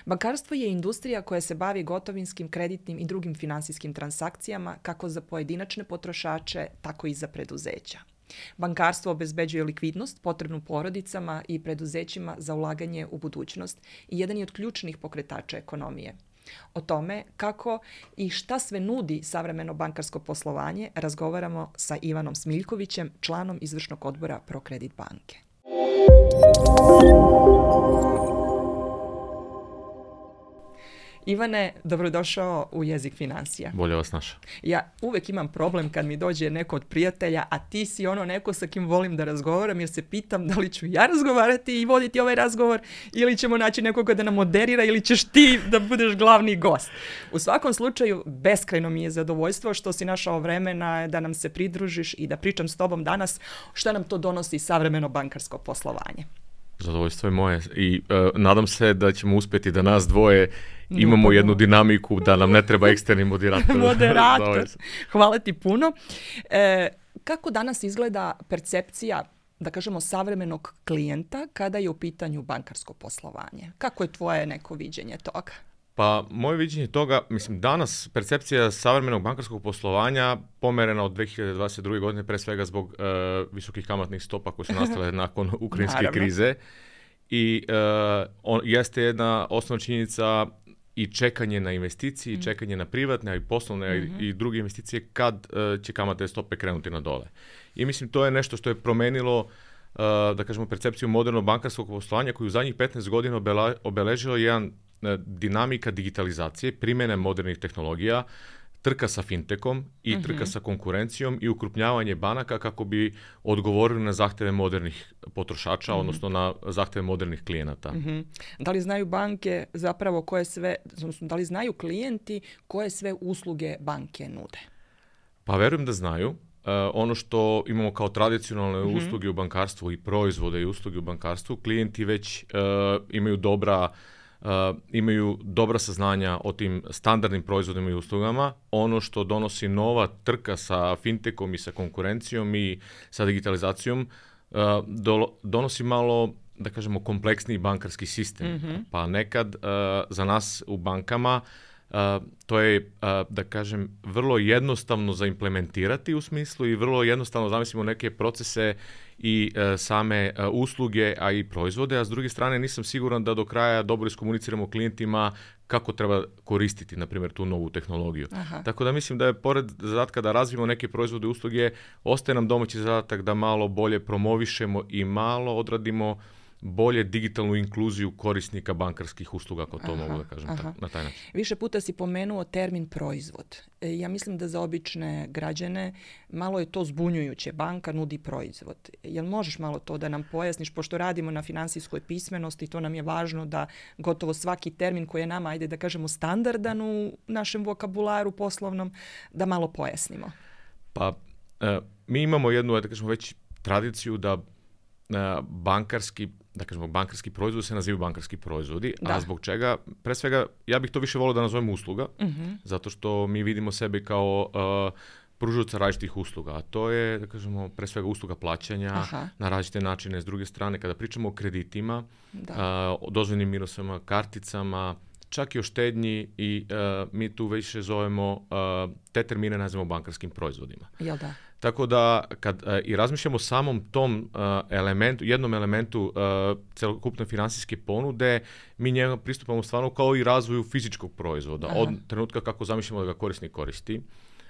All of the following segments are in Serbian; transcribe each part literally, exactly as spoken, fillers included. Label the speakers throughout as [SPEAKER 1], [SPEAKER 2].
[SPEAKER 1] Bankarstvo je industrija koja se bavi gotovinskim, kreditnim i drugim finansijskim transakcijama kako za pojedinačne potrošače, tako i za preduzeća. Bankarstvo obezbeđuje likvidnost potrebnu porodicama i preduzećima za ulaganje u budućnost i jedan je od ključnih pokretača ekonomije. O tome kako i šta sve nudi savremeno bankarsko poslovanje razgovaramo sa Ivanom Smiljkovićem, članom izvršnog odbora ProCredit banke. Ivane, dobrodošao u Jezik financija.
[SPEAKER 2] Bolje vas našao.
[SPEAKER 1] Ja uvek imam problem kad mi dođe neko od prijatelja, a ti si ono neko sa kim volim da razgovaram, jer se pitam da li ću ja razgovarati i voditi ovaj razgovor ili ćemo naći nekoga da nam moderira ili ćeš ti da budeš glavni gost. U svakom slučaju, beskrajno mi je zadovoljstvo što si našao vremena da nam se pridružiš i da pričam s tobom danas šta nam to donosi savremeno bankarsko poslovanje.
[SPEAKER 2] Zadovoljstvo je moje i uh, nadam se da ćemo uspjeti da nas dvoje imamo jednu dinamiku, da nam ne treba eksterni moderator.
[SPEAKER 1] Moderator. Hvala ti puno. E, kako danas izgleda percepcija, da kažemo, savremenog klijenta kada je u pitanju bankarsko poslovanje? Kako je tvoje neko viđenje toga?
[SPEAKER 2] Pa, moje viđenje toga, mislim, danas percepcija savremenog bankarskog poslovanja pomerena od dvije hiljade dvadeset druge. godine, pre svega zbog uh, visokih kamatnih stopa koje su nastale nakon ukrajinske
[SPEAKER 1] Naravno.
[SPEAKER 2] krize. I uh, on, jeste jedna osnovna činjenica i čekanje na investicije, mm. i čekanje na privatne, i poslovne, mm-hmm. i druge investicije kad uh, će kamatne stope krenuti na dole. I mislim, to je nešto što je promenilo uh, da kažemo, percepciju modernog bankarskog poslovanja koji u zadnjih petnaest godina obela, obeležilo jedan dinamika digitalizacije, primjene modernih tehnologija, trka sa fintechom i trka mm-hmm. sa konkurencijom i ukrupnjavanje banaka kako bi odgovorili na zahtjeve modernih potrošača, mm-hmm. odnosno na zahtjeve modernih klijenata.
[SPEAKER 1] Mm-hmm. Da li znaju banke zapravo koje sve, odnosno da li znaju klijenti koje sve usluge banke nude?
[SPEAKER 2] Pa verujem da znaju. Uh, ono što imamo kao tradicionalne mm-hmm. usluge u bankarstvu i proizvode i usluge u bankarstvu, klijenti već uh, imaju dobra Uh, imaju dobra saznanja o tim standardnim proizvodima i uslugama. Ono što donosi nova trka sa fintechom i sa konkurencijom i sa digitalizacijom uh, do, donosi malo, da kažemo, kompleksniji bankarski sistem. Mm-hmm. Pa nekad uh, za nas u bankama uh, to je, uh, da kažem, vrlo jednostavno za implementirati u smislu i vrlo jednostavno zamislimo neke procese i e, same e, usluge, a i proizvode, a s druge strane nisam siguran da do kraja dobro iskomuniciramo klijentima kako treba koristiti, na primjer, tu novu tehnologiju. Aha. Tako da mislim da je pored zadatka da razvijemo neke proizvode i usluge, ostaje nam domaći zadatak da malo bolje promovišemo i malo odradimo bolje digitalnu inkluziju korisnika bankarskih usluga, ako to aha, mogu da kažem ta, na taj način.
[SPEAKER 1] Više puta si pomenuo termin proizvod. E, ja mislim da za obične građane malo je to zbunjujuće. Banka nudi proizvod. Jel možeš malo to da nam pojasniš, pošto radimo na finansijskoj pismenosti, to nam je važno da gotovo svaki termin koji je nama, ajde da kažemo, standardan u našem vokabularu poslovnom, da malo pojasnimo.
[SPEAKER 2] Pa, e, mi imamo jednu, da kažemo, već tradiciju da e, bankarski da kažemo, bankarski proizvodi se nazivaju bankarski proizvodi, da. A zbog čega? Pre svega, ja bih to više volio da nazovem usluga, mm-hmm. zato što mi vidimo sebe kao uh, pružaoca različitih usluga, a to je, da kažemo, pre svega usluga plaćanja aha. na različite načine. S druge strane, kada pričamo o kreditima, uh, o dozvoljnim minusama, karticama, čak i o štednji i uh, mi tu više zovemo uh, te termine nazivamo bankarskim proizvodima.
[SPEAKER 1] Jel da?
[SPEAKER 2] Tako da kad uh, i razmišljamo o samom tom uh, elementu, jednom elementu uh, celokupne finansijske ponude, mi njega pristupamo stvarno kao i razvoju fizičkog proizvoda. Aha. Od trenutka kako zamišljamo da ga korisnik koristi,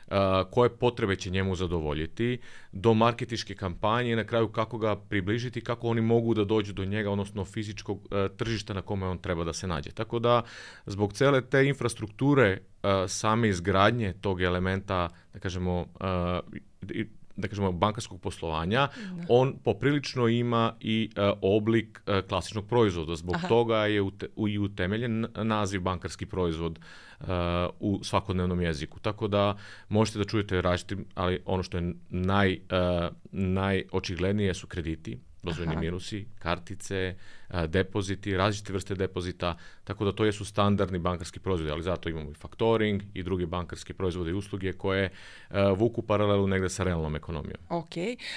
[SPEAKER 2] uh, koje potrebe će njemu zadovoljiti, do marketinške kampanje i na kraju kako ga približiti, kako oni mogu da dođu do njega, odnosno fizičkog uh, tržišta na kome on treba da se nađe. Tako da zbog cele te infrastrukture uh, same izgradnje tog elementa, da kažemo, uh, da kažemo, bankarskog poslovanja, da. On poprilično ima i uh, oblik uh, klasičnog proizvoda. Zbog aha. toga je ute, u, i utemeljen naziv bankarski proizvod uh, u svakodnevnom jeziku. Tako da možete da čujete različitim, ali ono što je naj, uh, najočiglednije su krediti. dozvoljeni minusi, kartice, depoziti, različite vrste depozita, tako da to jesu standardni bankarski proizvodi, ali zato imamo i faktoring i druge bankarske proizvode i usluge koje uh, vuku paralelu negde sa realnom ekonomijom.
[SPEAKER 1] Ok,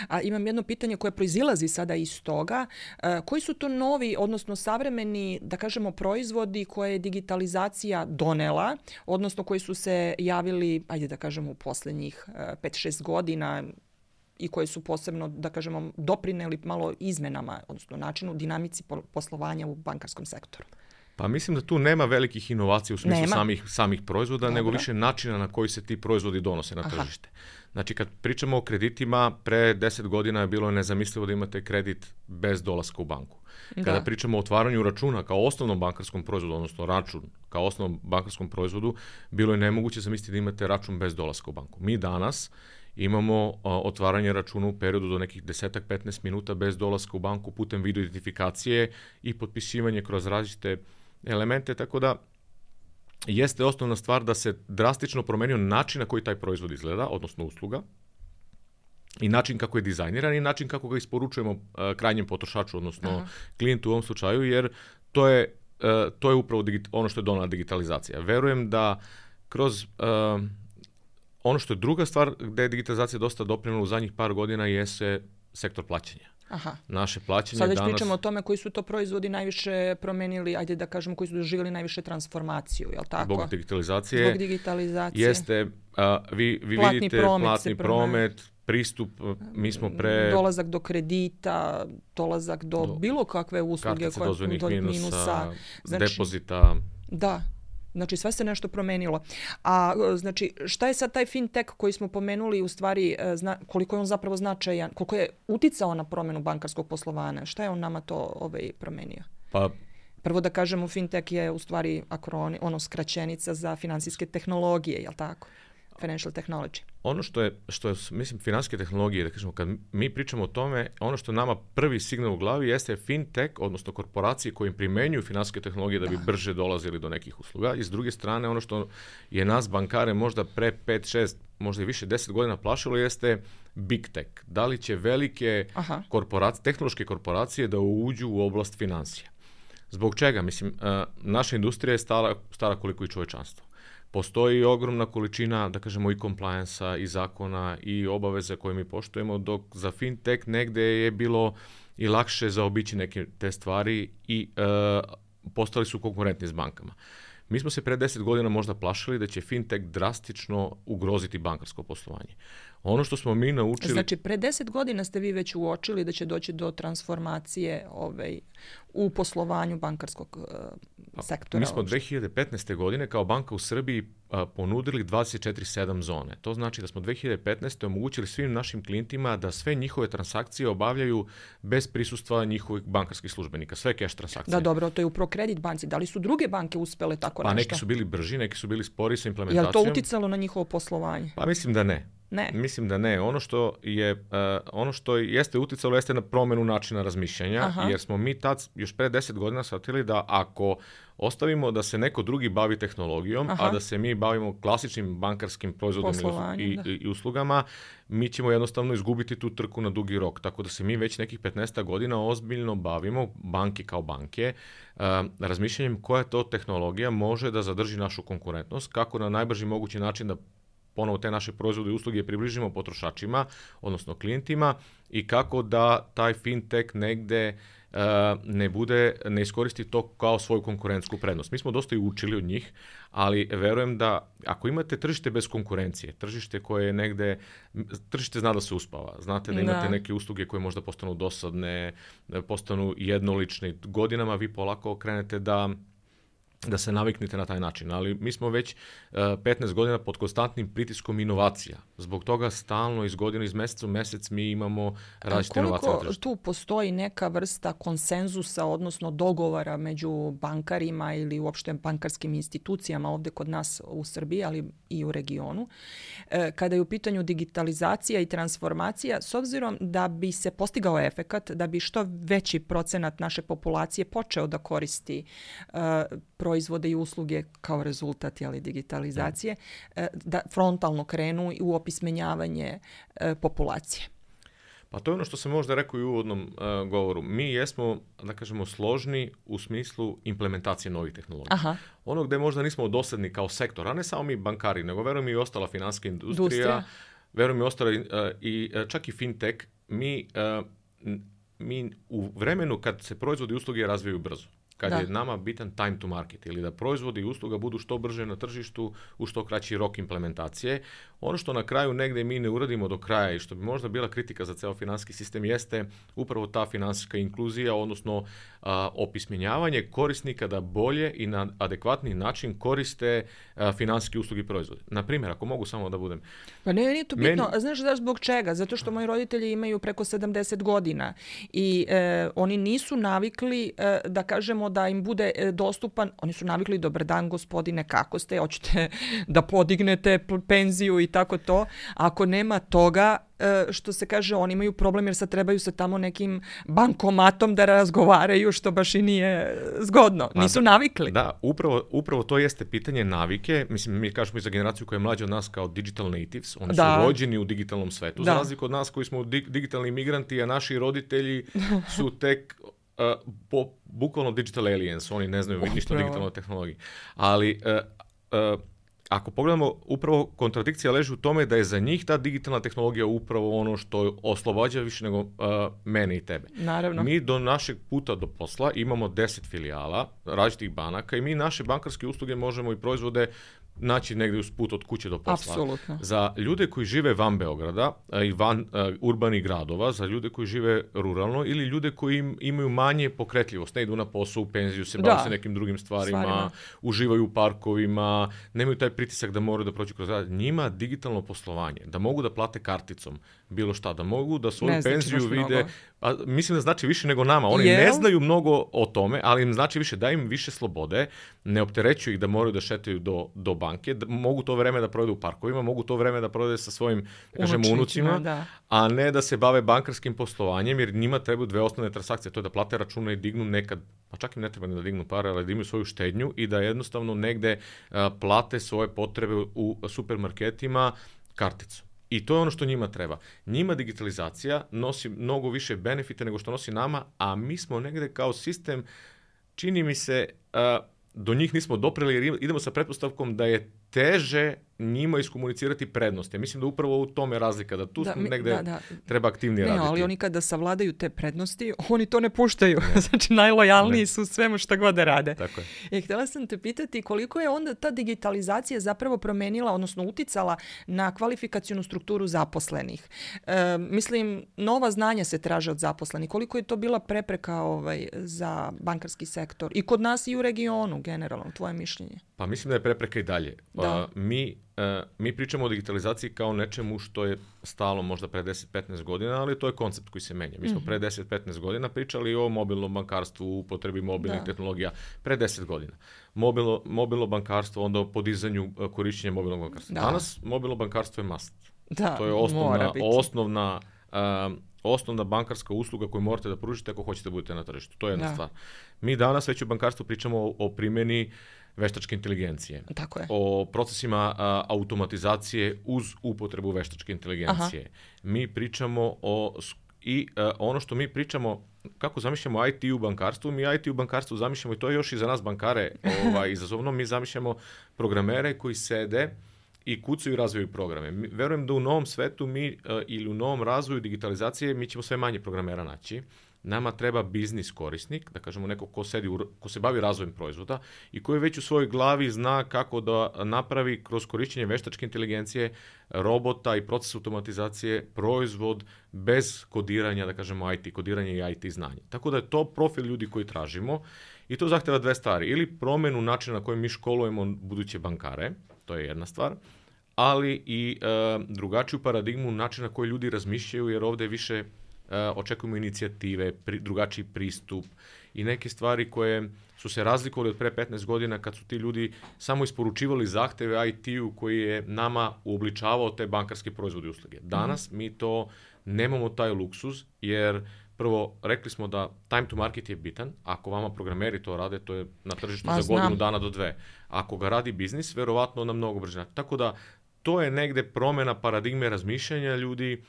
[SPEAKER 1] a imam jedno pitanje koje proizilazi sada iz toga. Uh, koji su to novi, odnosno savremeni, da kažemo, proizvodi koje je digitalizacija donela, odnosno koji su se javili, ajde da kažemo, u posljednjih uh, pet šest godina i koje su posebno, da kažemo, doprineli malo izmenama, odnosno načinu, dinamici poslovanja u bankarskom sektoru?
[SPEAKER 2] Pa mislim da tu nema velikih inovacija u smislu samih, samih proizvoda, Dobro. nego više načina na koji se ti proizvodi donose na Aha. tržište. Znači, kad pričamo o kreditima, pre deset godina je bilo nezamislivo da imate kredit bez dolaska u banku. Kada da. pričamo o otvaranju računa kao osnovnom bankarskom proizvodu, odnosno račun kao osnovnom bankarskom proizvodu, bilo je nemoguće zamisliti da imate račun bez dolaska u banku. Mi danas imamo a, otvaranje računa u periodu do nekih deset do petnaest minuta bez dolaska u banku putem video identifikacije i potpisivanje kroz različite elemente, tako da jeste osnovna stvar da se drastično promenio način na koji taj proizvod izgleda, odnosno usluga, i način kako je dizajniran i način kako ga isporučujemo uh, krajnjem potrošaču, odnosno Aha. klijentu u ovom slučaju, jer to je, uh, to je upravo digit- ono što je donela digitalizacija. Verujem da kroz uh, ono što je druga stvar gde je digitalizacija dosta doprinela u zadnjih par godina jeste sektor plaćanja.
[SPEAKER 1] Aha.
[SPEAKER 2] Naše plaćanje
[SPEAKER 1] Sad već
[SPEAKER 2] danas...
[SPEAKER 1] pričamo o tome koji su to proizvodi najviše promenili, ajde da kažemo, koji su doživjeli najviše transformaciju, je li tako?
[SPEAKER 2] Zbog digitalizacije.
[SPEAKER 1] Zbog digitalizacije.
[SPEAKER 2] Jeste, a, vi, vi
[SPEAKER 1] platni
[SPEAKER 2] vidite
[SPEAKER 1] promet
[SPEAKER 2] platni promet, pristup, mi smo pre...
[SPEAKER 1] Dolazak do kredita, dolazak do, do bilo kakve usluge.
[SPEAKER 2] Kartice dozvoljnih minusa,
[SPEAKER 1] minusa. Znači,
[SPEAKER 2] depozita.
[SPEAKER 1] Da. Znači, sve se nešto promenilo. A znači, šta je sad taj fintech koji smo pomenuli, u stvari, zna, koliko je on zapravo značajan, koliko je uticao na promjenu bankarskog poslovanja? Šta je on nama to ovaj, promenio?
[SPEAKER 2] Pa,
[SPEAKER 1] prvo da kažemo, fintech je u stvari akroni, ono skraćenica za finansijske tehnologije, je li tako? Financial technology.
[SPEAKER 2] Ono što je, što je, mislim, finansijske tehnologije, da kažemo, kad mi pričamo o tome, ono što nama prvi signal u glavi jeste fintech, odnosno korporacije koje primenjuju finansijske tehnologije da bi da. brže dolazili do nekih usluga. I s druge strane, ono što je nas bankare možda pre pet šest, možda i više deset godina plašilo jeste big tech. Da li će velike korporacije, tehnološke korporacije da uđu u oblast financija? Zbog čega? Mislim, uh, naša industrija je stara, stara koliko i čovečanstvo. Postoji ogromna količina, da kažemo, i compliance-a, i zakona, i obaveze koje mi poštujemo, dok za fintech negde je bilo i lakše zaobići neke te stvari i e, postali su konkurentni s bankama. Mi smo se pre deset godina možda plašili da će fintech drastično ugroziti bankarsko poslovanje. Ono što smo mi naučili...
[SPEAKER 1] Znači, pre deset godina ste vi već uočili da će doći do transformacije ovaj, u poslovanju bankarskog uh, sektora.
[SPEAKER 2] Mi smo dve hiljade petnaeste. godine kao banka u Srbiji uh, ponudili dvadeset četiri sedam zone. To znači da smo dve hiljade petnaeste. omogućili svim našim klijentima da sve njihove transakcije obavljaju bez prisustva njihovih bankarskih službenika. Sve cash transakcije.
[SPEAKER 1] Da, dobro, to je u ProCredit banci. Da li su druge banke uspele tako
[SPEAKER 2] pa,
[SPEAKER 1] nešto?
[SPEAKER 2] Pa neki su bili brži, neki su bili spori sa implementacijom.
[SPEAKER 1] Je li to uticalo na njihovo poslovanje?
[SPEAKER 2] Pa mislim da ne.
[SPEAKER 1] Ne.
[SPEAKER 2] Mislim da ne. Ono što je uh, ono što jeste uticalo jeste na promjenu načina razmišljanja, Aha. jer smo mi tad još pre deset godina shvatili da ako ostavimo da se neko drugi bavi tehnologijom, Aha. a da se mi bavimo klasičnim bankarskim proizvodom i, i, i uslugama, mi ćemo jednostavno izgubiti tu trku na dugi rok. Tako da se mi već nekih petnaest godina ozbiljno bavimo, banke kao banke, uh, razmišljanjem koja to tehnologija može da zadrži našu konkurentnost, kako na najbrži mogući način da ponovo te naše proizvode i usluge približimo potrošačima, odnosno klijentima, i kako da taj fintech negde uh, ne bude, ne iskoristi to kao svoju konkurentsku prednost. Mi smo dosta i učili od njih, ali verujem da ako imate tržište bez konkurencije, tržište koje je negde, tržište zna da se uspava, znate da imate da. neke usluge koje možda postanu dosadne, postanu jednolične, godinama vi polako krenete da da se naviknete na taj način, ali mi smo već uh, petnaest godina pod konstantnim pritiskom inovacija. Zbog toga stalno iz godine iz meseca u mesec mi imamo različite inovacije.
[SPEAKER 1] Koliko tu postoji neka vrsta konsenzusa, odnosno dogovora među bankarima ili uopšte bankarskim institucijama ovdje kod nas u Srbiji, ali i u regionu, e, kada je u pitanju digitalizacija i transformacija, s obzirom da bi se postigao efekat, da bi što veći procenat naše populacije počeo da koristi uh, proizvode i usluge kao rezultat jeli, digitalizacije, da. da frontalno krenu u opismenjavanje e, populacije.
[SPEAKER 2] Pa to je ono što sam možda rekao i u uvodnom uh, govoru. Mi jesmo, da kažemo, složni u smislu implementacije novih tehnologija.
[SPEAKER 1] Aha.
[SPEAKER 2] Ono gdje možda nismo dosadni kao sektor, a ne samo mi bankari, nego verujem i ostala financijska industrija,
[SPEAKER 1] industrija.
[SPEAKER 2] verujem i ostala uh, i uh, čak i fintech, mi, uh, mi u vremenu kad se proizvodi i usluge razvijaju brzo. Kad
[SPEAKER 1] da.
[SPEAKER 2] je nama bitan time to market ili da proizvodi i usluga budu što brže na tržištu u što kraći rok implementacije. Ono što na kraju negdje mi ne uradimo do kraja i što bi možda bila kritika za ceo financijski sistem jeste upravo ta financijska inkluzija, odnosno a, opismenjavanje korisnika da bolje i na adekvatni način koriste a, financijske usluge i proizvode. Na primjer, ako mogu samo da budem...
[SPEAKER 1] Pa ne, nije to bitno.
[SPEAKER 2] Meni...
[SPEAKER 1] Znaš da zbog čega? Zato što moji roditelji imaju preko sedamdeset godina i e, oni nisu navikli e, da kažemo da im bude dostupan, oni su navikli, dobar dan gospodine, kako ste, hoćete da podignete penziju i tako to. Ako nema toga, što se kaže, oni imaju problem jer sad trebaju sa tamo nekim bankomatom da razgovaraju, što baš i nije zgodno. Nisu navikli.
[SPEAKER 2] Da, upravo, upravo to jeste pitanje navike. Mislim, mi kažemo i za generaciju koja je mlađa od nas kao digital natives. Oni da. su rođeni u digitalnom svetu. Da. Za razliku od nas koji smo digitalni imigranti, a naši roditelji su tek... Uh, po, bukvalno digital aliens, oni ne znaju ništa o digitalnoj tehnologiji. Ali uh, uh, ako pogledamo, upravo kontradikcija leži u tome da je za njih ta digitalna tehnologija upravo ono što oslobađa više nego uh, mene i tebe.
[SPEAKER 1] Naravno.
[SPEAKER 2] Mi do našeg puta do posla imamo deset filijala različitih banaka i mi naše bankarske usluge možemo i proizvode naći negdje uz put od kuće do posla.
[SPEAKER 1] Apsolutno.
[SPEAKER 2] Za ljude koji žive van Beograda i van uh, urbanih gradova, za ljude koji žive ruralno ili ljude koji im, imaju manje pokretljivost, ne idu na posao, u penziju, se bave se nekim drugim stvarima, stvarima, uživaju u parkovima, nemaju taj pritisak da moraju da prođu kroz rad. Njima digitalno poslovanje, da mogu da plate karticom bilo šta, da mogu da svoju ne penziju znači vide, a, mislim da znači više nego nama. Oni Jel? ne znaju mnogo o tome, ali im znači više, da im više slobode, ne opterećuju ih da moraju da šetaju do, do banke, da mogu to vreme da provedu u parkovima, mogu to vreme da provede sa svojim, kažemo, unucima,
[SPEAKER 1] da.
[SPEAKER 2] a ne da se bave bankarskim poslovanjem, jer njima trebaju dve osnovne transakcije, to je da plate račune i dignu nekad, pa čak im ne treba ni da dignu pare, ali da imaju svoju štednju i da jednostavno negde a, plate svoje potrebe u supermarketima karticom. I to je ono što njima treba. Njima digitalizacija nosi mnogo više benefita nego što nosi nama, a mi smo negde kao sistem, čini mi se, a, do njih nismo dopreli jer idemo sa pretpostavkom da je teže njima iskomunicirati prednosti. Mislim da upravo u tome razlika, da tu da, mi, negde da, da. treba aktivnije
[SPEAKER 1] ne,
[SPEAKER 2] raditi.
[SPEAKER 1] Ali oni kada savladaju te prednosti, oni to ne puštaju. Ne. Znači, najlojalniji ne. su svemu što god da rade.
[SPEAKER 2] Tako je.
[SPEAKER 1] E, htjela sam te pitati koliko je onda ta digitalizacija zapravo promenila, odnosno uticala na kvalifikacionu strukturu zaposlenih. E, mislim, nova znanja se traže od zaposlenih. Koliko je to bila prepreka ovaj, za bankarski sektor? I kod nas i u regionu, generalno, tvoje mišljenje?
[SPEAKER 2] Pa mislim da je prepreka i dalje.
[SPEAKER 1] Da.
[SPEAKER 2] Uh, mi, uh, mi pričamo o digitalizaciji kao nečemu što je stalo možda pre deset do petnaest godina, ali to je koncept koji se menja. Mi smo mm-hmm. pre deset do petnaest godina pričali o mobilnom bankarstvu, upotrebi mobilnih da. tehnologija. Pre deset godina. Mobilno, mobilno bankarstvo, onda o podizanju uh, korišćenja mobilnog bankarstva. Da. Danas mobilno bankarstvo je must.
[SPEAKER 1] Da,
[SPEAKER 2] to je osnovna, osnovna, uh, osnovna bankarska usluga koju morate da pružite ako hoćete da budete na tržištu. To je jedna da. stvar. Mi danas već u bankarstvu pričamo o, o primjeni veštačke inteligencije.
[SPEAKER 1] Tako je.
[SPEAKER 2] O procesima a, automatizacije uz upotrebu veštačke inteligencije. Aha. Mi pričamo o i a, ono što mi pričamo kako zamišljamo I T u bankarstvu, mi I T u bankarstvu zamišljamo i to je još i za nas bankare ovaj, izazovno, mi zamišljamo programere koji sede i kucaju i razvijaju programe. Mi, verujem da u novom svetu mi a, ili u novom razvoju digitalizacije mi ćemo sve manje programera naći. Nama treba biznis korisnik, da kažemo neko ko, sedi u, ko se bavi razvojem proizvoda i koji već u svojoj glavi zna kako da napravi kroz korišćenje veštačke inteligencije, robota i proces automatizacije proizvod bez kodiranja, da kažemo I T, kodiranje i I T znanje. Tako da je to profil ljudi koji tražimo i to zahteva dve stvari. Ili promenu načina na koji mi školujemo buduće bankare, to je jedna stvar, ali i e, drugačiju paradigmu načina na koji ljudi razmišljaju, jer ovdje više Uh, očekujemo inicijative, pri, drugačiji pristup i neke stvari koje su se razlikovali od pre petnaest godina kad su ti ljudi samo isporučivali zahteve I T-u koji je nama uobličavao te bankarske proizvode i usluge. Danas mm-hmm. mi to nemamo taj luksuz jer prvo rekli smo da time to market je bitan. Ako vama programeri to rade, to je na tržištu Ma, za znam. godinu dana do dve. Ako ga radi biznis, verovatno na mnogo brže. Tako da to je negde promjena paradigme razmišljanja ljudi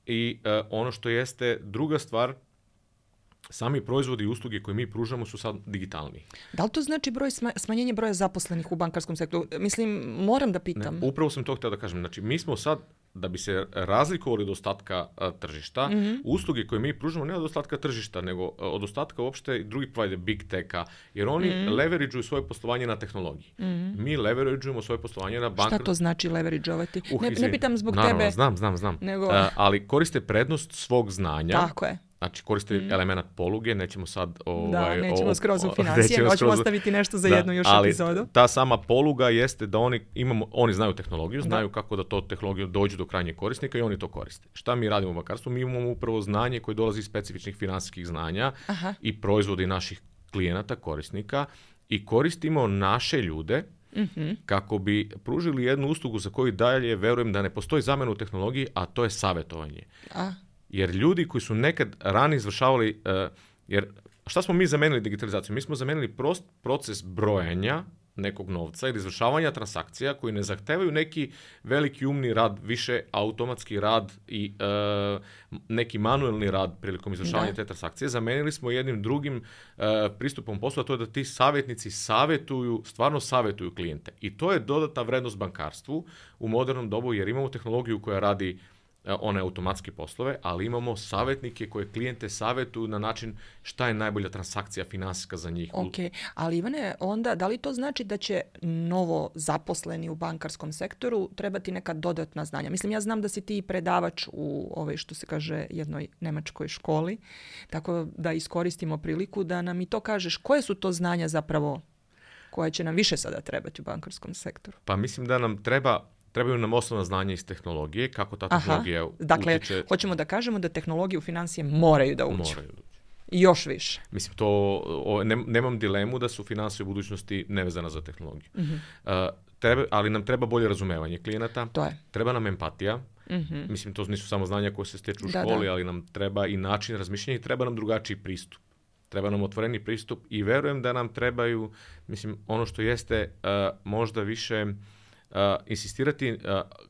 [SPEAKER 2] i uh, ono što jeste druga stvar, sami proizvodi i usluge koje mi pružamo su sad digitalni.
[SPEAKER 1] Da li to znači broj sma- smanjenje broja zaposlenih u bankarskom sektoru? Mislim, moram da pitam.
[SPEAKER 2] Ne, upravo sam to htio da kažem. Znači, mi smo sad, da bi se razlikovali od ostatka a, tržišta, mm-hmm. usluge koje mi pružamo ne od ostatka tržišta, nego a, od ostatka uopšte drugih provider, big techa, jer oni mm-hmm. leveraguju svoje poslovanje na tehnologiji. Mm-hmm. Mi leveraguemo svoje poslovanje na bankar...
[SPEAKER 1] Šta to znači leverageovati?
[SPEAKER 2] Uh,
[SPEAKER 1] ne, ne pitam zbog
[SPEAKER 2] naravno,
[SPEAKER 1] tebe.
[SPEAKER 2] Znam, znam, znam.
[SPEAKER 1] Nego...
[SPEAKER 2] A, ali koriste prednost svog znanja.
[SPEAKER 1] Tako je.
[SPEAKER 2] Znači, koriste mm. element poluge, nećemo sad... Ovaj,
[SPEAKER 1] da, nećemo
[SPEAKER 2] o,
[SPEAKER 1] skroz u financije, hoćemo skroz... ostaviti nešto za
[SPEAKER 2] da,
[SPEAKER 1] jednu još
[SPEAKER 2] ali
[SPEAKER 1] epizodu.
[SPEAKER 2] Ta sama poluga jeste da oni, imamo, oni znaju tehnologiju, znaju da. kako da to tehnologiju dođe do krajnjeg korisnika i oni to koriste. Šta mi radimo u bankarstvu? Mi imamo upravo znanje koje dolazi iz specifičnih finansijskih znanja Aha. i proizvodi naših klijenata, korisnika i koristimo naše ljude mm-hmm. kako bi pružili jednu uslugu za koju dalje verujem da ne postoji zamjena u tehnologiji, a to je savjetovanje. A. Jer ljudi koji su nekad ranije izvršavali, uh, jer šta smo mi zamenili digitalizaciju? Mi smo zamenili prost proces brojanja nekog novca ili izvršavanja transakcija koji ne zahtevaju neki veliki umni rad, više automatski rad i uh, neki manuelni rad prilikom izvršavanja da. te transakcije. Zamenili smo jednim drugim uh, pristupom posla, to je da ti savjetnici savjetuju, stvarno savjetuju klijente. I to je dodatna vrednost bankarstvu u modernom dobu jer imamo tehnologiju koja radi one automatske poslove, ali imamo savjetnike koje klijente savjetuju na način šta je najbolja transakcija finansijska za njih.
[SPEAKER 1] Ok, ali Ivane, onda da li to znači da će novo zaposleni u bankarskom sektoru trebati neka dodatna znanja? Mislim, ja znam da si ti predavač u ovoj, što se kaže, jednoj nemačkoj školi, tako da iskoristimo priliku da nam i to kažeš koje su to znanja zapravo koje će nam više sada trebati u bankarskom sektoru.
[SPEAKER 2] Pa mislim da nam treba Trebaju nam osnovna znanja iz tehnologije, kako ta tehnologija
[SPEAKER 1] Aha. Dakle, utiče... hoćemo da kažemo da tehnologije u financije moraju da uđu.
[SPEAKER 2] Moraju da uđu.
[SPEAKER 1] I još više.
[SPEAKER 2] Mislim, to, o, ne, nemam dilemu da su financije u budućnosti nevezana za tehnologiju. Mm-hmm. Uh, treba, ali nam treba bolje razumevanje klijenata.
[SPEAKER 1] To je.
[SPEAKER 2] Treba nam empatija. Mm-hmm. Mislim, to nisu samo znanja koje se stječu u
[SPEAKER 1] da,
[SPEAKER 2] školi,
[SPEAKER 1] da.
[SPEAKER 2] ali nam treba i način razmišljanja i treba nam drugačiji pristup. Treba nam otvoreni pristup i verujem da nam trebaju, mislim, ono što jeste uh, možda više... Uh, insistirati, uh,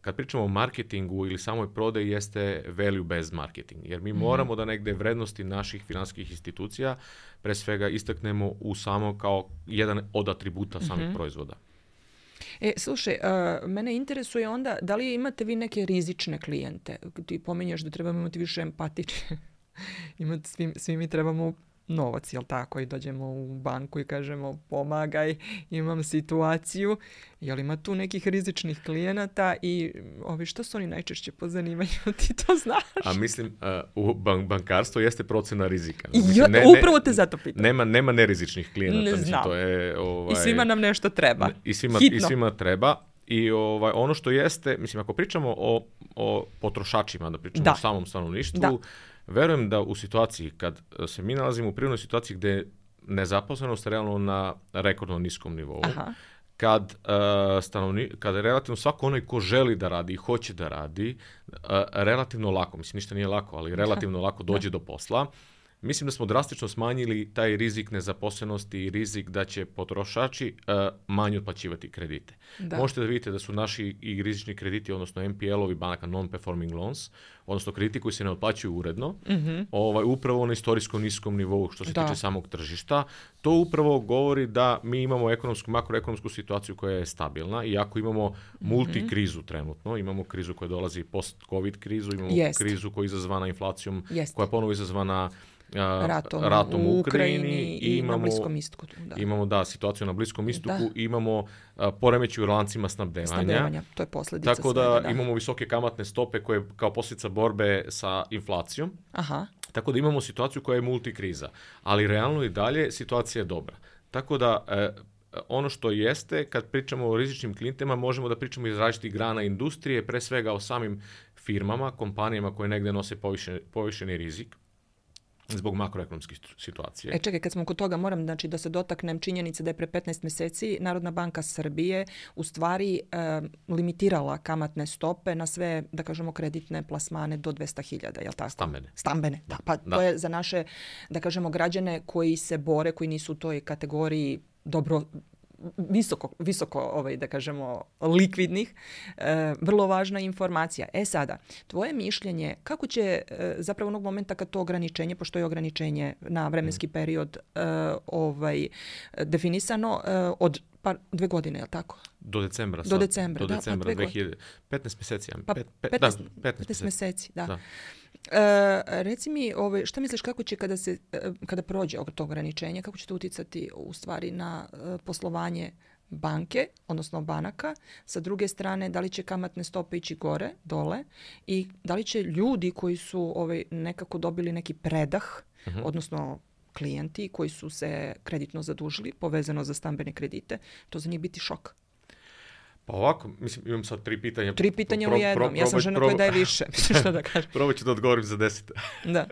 [SPEAKER 2] kad pričamo o marketingu ili samoj prodaji, jeste value-based marketing. Jer mi mm. moramo da negde vrednosti naših financijskih institucija pre svega istaknemo u samo kao jedan od atributa samih mm-hmm. proizvoda.
[SPEAKER 1] E, slušaj, uh, mene interesuje onda da li imate vi neke rizične klijente? Ti pominješ da trebamo imati više empatične. imati, svi, svi mi trebamo novac, jel tako? I dođemo u banku i kažemo pomagaj, imam situaciju. Jel ima tu nekih rizičnih klijenata i ovi, što su oni najčešće po zanimanju? Ti to znaš?
[SPEAKER 2] A mislim, uh, u bank- bankarstvo jeste procena rizika.
[SPEAKER 1] Mislim,
[SPEAKER 2] jo,
[SPEAKER 1] ne, upravo te zato pitam.
[SPEAKER 2] Nema, nema nerizičnih klijenata.
[SPEAKER 1] Ne
[SPEAKER 2] mislim,
[SPEAKER 1] znam.
[SPEAKER 2] to je, ovaj,
[SPEAKER 1] I svima nam nešto treba.
[SPEAKER 2] I svima,
[SPEAKER 1] Hitno.
[SPEAKER 2] i svima treba. I ovaj, ono što jeste, mislim, ako pričamo o, o potrošačima, da pričamo da. o samom stanovništvu, da. verujem da u situaciji kad se mi nalazimo u prirodnoj situaciji gdje je nezaposlenost realno na rekordno niskom nivou, Aha. kad uh, stanovni, kad je relativno svako onaj ko želi da radi i hoće da radi, uh, relativno lako, mislim ništa nije lako, ali relativno lako dođe do posla, mislim da smo drastično smanjili taj rizik nezaposlenosti i rizik da će potrošači uh, manje otplaćivati kredite. Da. Možete da vidite da su naši i rizični krediti, odnosno N P L-ovi banaka, non-performing loans, odnosno krediti koji se ne otplaćuju uredno, mm-hmm. ovaj, upravo na istorijsko niskom nivou što se da. tiče samog tržišta. To upravo govori da mi imamo ekonomsku, makroekonomsku situaciju koja je stabilna i ako imamo multikrizu trenutno, imamo krizu koja dolazi post-covid krizu, imamo Jest. krizu koja je izazvana inflacijom, Jest. koja je ponovo izazvana
[SPEAKER 1] ratom,
[SPEAKER 2] ratom u Ukrajini,
[SPEAKER 1] Ukrajini i, i imamo, na Bliskom istoku. Da.
[SPEAKER 2] Imamo da, situaciju na Bliskom istoku, da. imamo a, poremeći u lancima snabdevanja.
[SPEAKER 1] Snabdevanja, to je posljedica
[SPEAKER 2] Tako da,
[SPEAKER 1] svega, da
[SPEAKER 2] imamo visoke kamatne stope koje kao posljedica borbe sa inflacijom.
[SPEAKER 1] Aha.
[SPEAKER 2] Tako da imamo situaciju koja je multikriza. Ali realno i dalje situacija je dobra. Tako da e, ono što jeste, kad pričamo o rizičnim klijentima, možemo da pričamo iz različitih grana industrije, pre svega o samim firmama, kompanijama koje negde nose povišen, povišeni rizik zbog makroekonomske situacije.
[SPEAKER 1] E čekaj, kad smo kod toga, moram znači, da se dotaknem činjenice da je pre petnaest mjeseci Narodna banka Srbije u stvari e, limitirala kamatne stope na sve, da kažemo, kreditne plasmane do dvesta hiljada, jel tako?
[SPEAKER 2] Stambene.
[SPEAKER 1] Stambene, da. Pa da. To je za naše, da kažemo, građane koji se bore, koji nisu u toj kategoriji dobro visoko, visoko ovaj, da kažemo, likvidnih, e, vrlo važna informacija. E sada, tvoje mišljenje, kako će e, zapravo onog momenta kad to ograničenje, pošto je ograničenje na vremenski period e, ovaj, definisano e, od pa dve godine, je li tako?
[SPEAKER 2] Do decembra.
[SPEAKER 1] Do
[SPEAKER 2] sad.
[SPEAKER 1] decembra,
[SPEAKER 2] Do
[SPEAKER 1] da,
[SPEAKER 2] decembra
[SPEAKER 1] pa dve
[SPEAKER 2] dve hiljade petnaest mjeseci.
[SPEAKER 1] Pa
[SPEAKER 2] pet, pet,
[SPEAKER 1] petnaest,
[SPEAKER 2] da, petnaest,
[SPEAKER 1] petnaest mjeseci, da.
[SPEAKER 2] da.
[SPEAKER 1] E, reci mi, ovaj, šta misliš kako će kada, se, kada prođe to ograničenje, kako će to uticati u stvari na uh, poslovanje banke, odnosno banaka, sa druge strane, da li će kamatne stope ići gore, dole i da li će ljudi koji su ovaj, nekako dobili neki predah, uh-huh. odnosno klijenti koji su se kreditno zadužili, povezano za stambene kredite, to za njih biti šok.
[SPEAKER 2] Pa ovako, mislim, imam sad tri pitanja.
[SPEAKER 1] Tri pitanja
[SPEAKER 2] pro,
[SPEAKER 1] u jednom.
[SPEAKER 2] pro,
[SPEAKER 1] ja sam žena koja daje više. Što da kažem?
[SPEAKER 2] Probat ću da odgovorim za deset.
[SPEAKER 1] Da.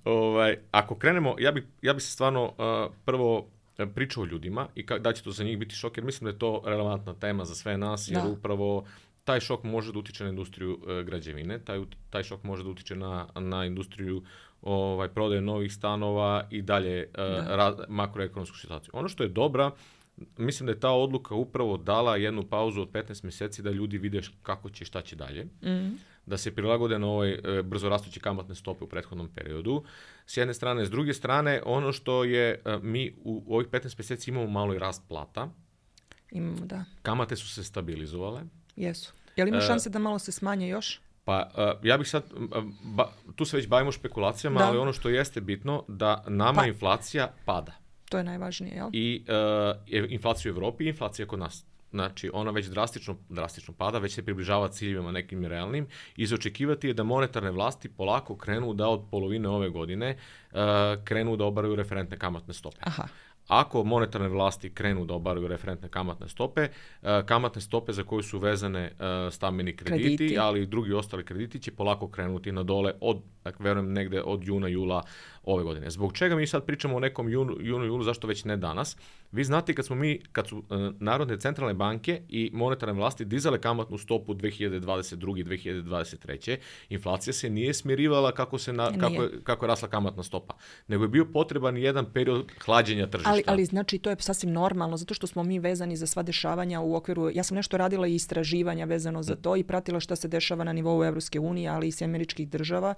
[SPEAKER 2] ovaj, ako krenemo, ja bih ja bi se stvarno uh, prvo pričao o ljudima i ka, da će to za njih biti šok, jer mislim da je to relevantna tema za sve nas, jer da. upravo taj šok može da utiče na industriju uh, građevine, taj, taj šok može da utiče na, na industriju ovaj, prodaje novih stanova i dalje uh, ra, makroekonomsku situaciju. Ono što je dobra, mislim da je ta odluka upravo dala jednu pauzu od petnaest mjeseci da ljudi vide kako će i šta će dalje. Mm. Da se prilagode na ove e, brzo rastuće kamatne stope u prethodnom periodu. S jedne strane. S druge strane, ono što je, e, mi u, u ovih petnaest mjeseci imamo malo i rast plata.
[SPEAKER 1] Imamo, da.
[SPEAKER 2] Kamate su se stabilizovale.
[SPEAKER 1] Jesu. Je li ima šanse da malo se smanje još?
[SPEAKER 2] Pa uh, ja bih sad, uh, ba, tu se već bavimo špekulacijama, da. ali ono što jeste bitno, da nama pa. inflacija pada.
[SPEAKER 1] To je najvažnije, jel?
[SPEAKER 2] I uh, inflacija u Evropi i inflacija kod nas. Znači, ona već drastično, drastično pada, već se približava ciljevima nekim realnim i za očekivati je da monetarne vlasti polako krenu da od polovine ove godine uh, krenu da obaraju referentne kamatne stope.
[SPEAKER 1] Aha.
[SPEAKER 2] Ako monetarne vlasti krenu da obaraju referentne kamatne stope, uh, kamatne stope za koje su vezane uh, stambeni krediti, krediti, ali i drugi ostali krediti će polako krenuti na dole od, dakle, verujem, negde od juna, jula ove godine. Zbog čega mi sad pričamo o nekom junu, junu, julu, zašto već ne danas? Vi znate kad smo mi, kad su uh, narodne centralne banke i monetarne vlasti dizale kamatnu stopu dve hiljade dvadeset druge. dve hiljade dvadeset treće. inflacija se nije smirivala kako, se na, kako, je, kako je rasla kamatna stopa, nego je bio potreban jedan period hlađenja tržišta.
[SPEAKER 1] Ali, ali znači to je sasvim normalno, zato što smo mi vezani za sva dešavanja u okviru, ja sam nešto radila i istraživanja vezano za to i pratila šta se dešava na nivou Evropske unije, ali i američkih država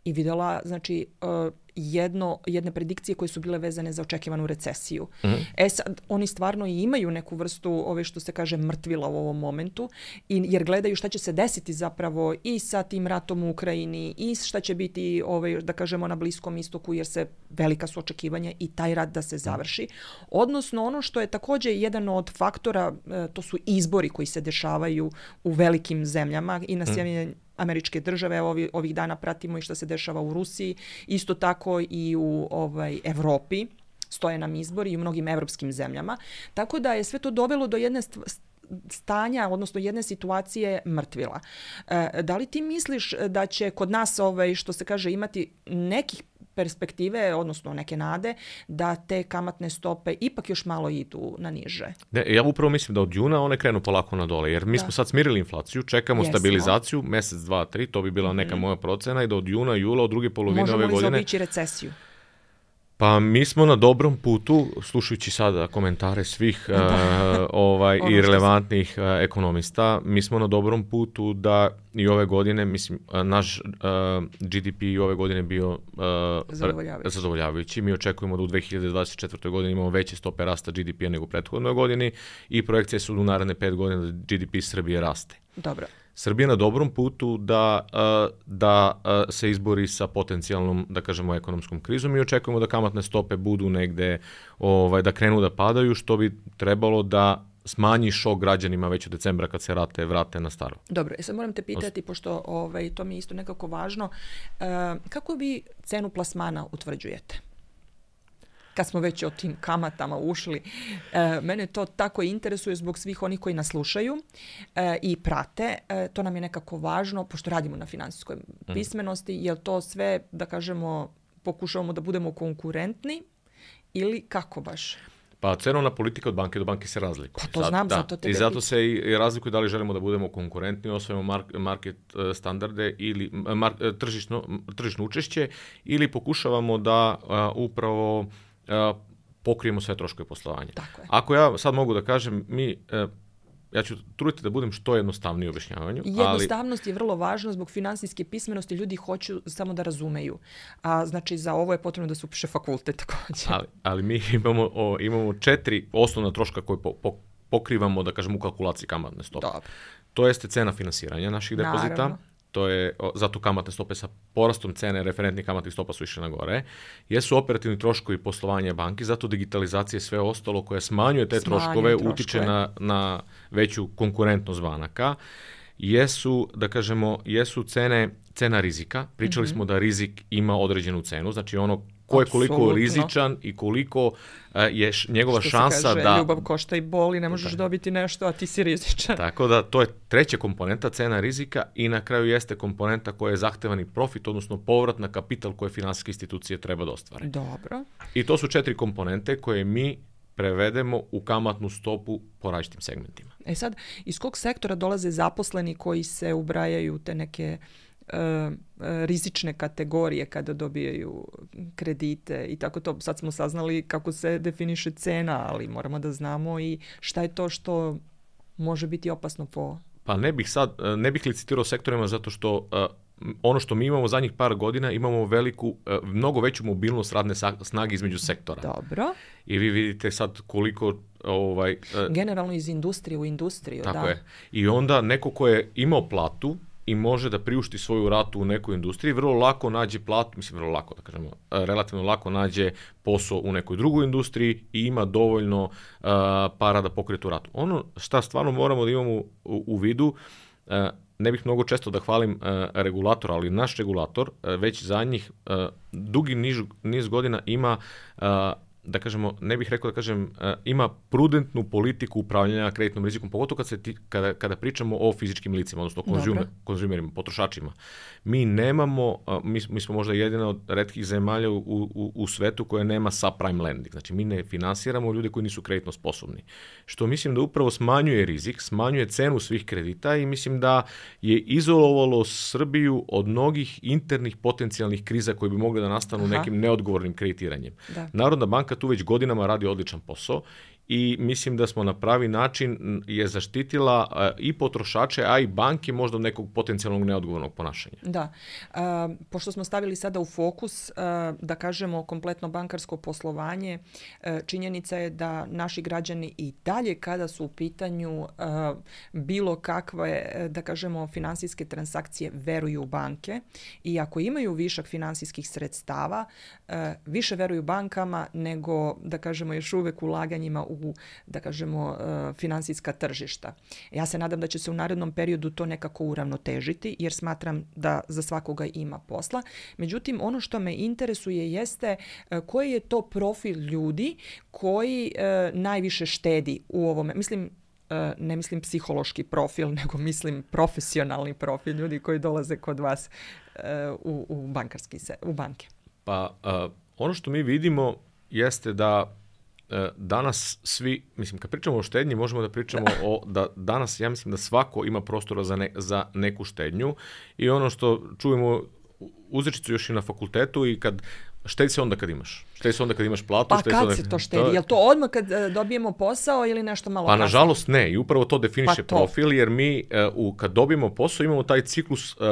[SPEAKER 1] i videla, znači, uh, jedno, jedne predikcije koje su bile vezane za očekivanu recesiju. Mm-hmm. E sad, oni stvarno i imaju neku vrstu, ove što se kaže, mrtvila u ovom momentu, i, jer gledaju šta će se desiti zapravo i sa tim ratom u Ukrajini i šta će biti, ove, da kažemo, na Bliskom istoku, jer se velika su očekivanja i taj rat da se završi. Odnosno, ono što je također jedan od faktora, to su izbori koji se dešavaju u velikim zemljama i na Sjedinjenim Američke države, ovih, ovih dana pratimo i što se dešava u Rusiji, isto tako i u ovaj, Evropi, stoje nam izbori i u mnogim evropskim zemljama. Tako da je sve to dovelo do jedne stanja, odnosno jedne situacije mrtvila. E, da li ti misliš da će kod nas, ovaj, što se kaže, imati nekih perspektive, odnosno neke nade, da te kamatne stope ipak još malo idu na niže?
[SPEAKER 2] Ne, ja upravo mislim da od juna one krenu polako na dole, jer mi da. smo sad smirili inflaciju, čekamo Jesmo. stabilizaciju, mjesec, dva, tri, to bi bila neka mm. moja procena i da od juna, jula, od druge polovine
[SPEAKER 1] Možemo
[SPEAKER 2] ove godine...
[SPEAKER 1] Možemo li zaobići recesiju?
[SPEAKER 2] Pa mi smo na dobrom putu, slušajući sada komentare svih uh, ovaj, i relevantnih uh, ekonomista, mi smo na dobrom putu da i ove godine, mislim, uh, naš uh, G D P i ove godine bio uh,
[SPEAKER 1] zadovoljavajući.
[SPEAKER 2] zadovoljavajući. Mi očekujemo da u dve hiljade dvadeset četvrtoj. godini imamo veće stope rasta G D P-a nego u prethodnoj godini i projekcije su u naredne pet godina da G D P Srbije raste.
[SPEAKER 1] Dobro.
[SPEAKER 2] Srbija na dobrom putu da, da se izbori sa potencijalnom, da kažemo, ekonomskom krizom i očekujemo da kamatne stope budu negde, ovaj, da krenu da padaju, što bi trebalo da smanji šok građanima već u decembra kad se rate vrate na staro.
[SPEAKER 1] Dobro, sad moram te pitati, pošto ovaj, to mi je isto nekako važno, uh, kako vi cenu plasmana utvrđujete? Kad smo već o tim kamatama ušli, e, mene to tako interesuje zbog svih onih koji nas slušaju e, i prate. E, to nam je nekako važno, pošto radimo na finansijskoj pismenosti, jer to sve, da kažemo, pokušavamo da budemo konkurentni ili kako baš?
[SPEAKER 2] Pa cenovna politika od banke do banke se razlikuje.
[SPEAKER 1] Pa to Sad, znam,
[SPEAKER 2] da.
[SPEAKER 1] zato tebe
[SPEAKER 2] I zato se i razlikuje da li želimo da budemo konkurentni, osvojimo market standarde ili mar, tržišno, tržišno učešće ili pokušavamo da uh, upravo Uh, pokrijemo sve troškove poslovanja.
[SPEAKER 1] Tako je.
[SPEAKER 2] Ako ja sad mogu da kažem, mi... E, ja ću truditi da budem što jednostavniji u objašnjavanju.
[SPEAKER 1] Jednostavnost
[SPEAKER 2] ali...
[SPEAKER 1] je vrlo važna zbog finansijske pismenosti. Ljudi hoću samo da razumeju. A znači za ovo je potrebno da se upiše fakultet također.
[SPEAKER 2] Ali, ali mi imamo, o, imamo četiri osnovna troška koje po, po, pokrivamo, da kažem, u kalkulaciji kamatne stope.
[SPEAKER 1] Dobro.
[SPEAKER 2] To jeste cena finansiranja naših depozita. Naravno. To je, zato kamatne stope sa porastom cene referentnih kamatnih stopa su išle na gore. Jesu operativni troškovi poslovanja banki, zato digitalizacija i sve ostalo koje smanjuje te smanjuje troškove, troškove, utiče na, na veću konkurentnost banaka. Jesu, da kažemo, jesu cene, cena rizika. Pričali mm-hmm. smo da rizik ima određenu cenu, znači ono ko je koliko Absolutno. rizičan i koliko uh, je š, njegova
[SPEAKER 1] Što
[SPEAKER 2] šansa
[SPEAKER 1] se kaže,
[SPEAKER 2] da...
[SPEAKER 1] ljubav košta i boli, ne možeš da. dobiti nešto, a ti si rizičan.
[SPEAKER 2] Tako da, to je treća komponenta, cena rizika, i na kraju jeste komponenta koja je zahtevani profit, odnosno povrat na kapital koje finansijske institucije treba da ostvare.
[SPEAKER 1] Dobro.
[SPEAKER 2] I to su četiri komponente koje mi prevedemo u kamatnu stopu po različitim segmentima.
[SPEAKER 1] E sad, iz kog sektora dolaze zaposleni koji se ubrajaju te neke Uh, rizične kategorije kada dobijaju kredite i tako to? Sad smo saznali kako se definiše cena, ali moramo da znamo i šta je to što može biti opasno po...
[SPEAKER 2] Pa ne bih sad, ne bih licitirao sektorima zato što uh, ono što mi imamo zadnjih par godina, imamo veliku, uh, mnogo veću mobilnost radne snage između sektora.
[SPEAKER 1] Dobro.
[SPEAKER 2] I vi vidite sad koliko... Ovaj, uh,
[SPEAKER 1] generalno iz industrije u industriju.
[SPEAKER 2] Tako
[SPEAKER 1] da.
[SPEAKER 2] je. I onda neko ko je imao platu i može da priušti svoju ratu u nekoj industriji, vrlo lako nađe platu, mislim vrlo lako da kažemo, relativno lako nađe posao u nekoj drugoj industriji i ima dovoljno uh, para da pokrije tu ratu. Ono šta stvarno moramo da imamo u, u vidu, uh, ne bih mnogo često da hvalim uh, regulator, ali naš regulator uh, već za njih uh, dugi niž, niz godina ima uh, da kažemo, ne bih rekao da kažem, ima prudentnu politiku upravljanja kreditnom rizikom, pogotovo kad se ti, kada, kada pričamo o fizičkim licima, odnosno konzumer, konzumerima, potrošačima. Mi nemamo, mi, mi smo možda jedina od retkih zemalja u, u, u svetu koja nema subprime lending. Znači, mi ne finansiramo ljude koji nisu kreditno sposobni. Što mislim da upravo smanjuje rizik, smanjuje cenu svih kredita i mislim da je izolovalo Srbiju od mnogih internih potencijalnih kriza koje bi mogle da nastanu Aha. nekim neodgovornim kreditiranjem. Da. Narodna banka tu već godinama radi odličan posao i mislim da smo na pravi način je zaštitila uh, i potrošače, a i banke možda nekog potencijalnog neodgovornog ponašanja.
[SPEAKER 1] Da. Uh, pošto smo stavili sada u fokus, uh, da kažemo, kompletno bankarsko poslovanje, uh, činjenica je da naši građani i dalje kada su u pitanju uh, bilo kakve, da kažemo, finansijske transakcije, veruju u banke i ako imaju višak finansijskih sredstava, uh, više veruju bankama nego, da kažemo, još uvek ulaganjima u u, da kažemo, finansijska tržišta. Ja se nadam da će se u narednom periodu to nekako uravnotežiti, jer smatram da za svakoga ima posla. Međutim, ono što me interesuje jeste koji je to profil ljudi koji najviše štedi u ovome. Mislim, ne mislim psihološki profil, nego mislim profesionalni profil ljudi koji dolaze kod vas u, u bankarski se, u banke.
[SPEAKER 2] Pa uh, ono što mi vidimo jeste da danas svi, mislim, kad pričamo o štednji, možemo da pričamo o, da danas, ja mislim da svako ima prostora za, ne, za neku štednju i ono što čujemo uzrečicu još i na fakultetu i kad štedi se onda kad imaš. Štedi se onda kad imaš platu.
[SPEAKER 1] Pa
[SPEAKER 2] štedi
[SPEAKER 1] kad
[SPEAKER 2] se, onda...
[SPEAKER 1] se to štedi? Je li to odmah kad dobijemo posao ili nešto malo
[SPEAKER 2] pa,
[SPEAKER 1] kasnije?
[SPEAKER 2] Pa nažalost ne i upravo to definiše
[SPEAKER 1] pa to.
[SPEAKER 2] profil jer mi uh, kad dobijemo posao imamo taj ciklus uh,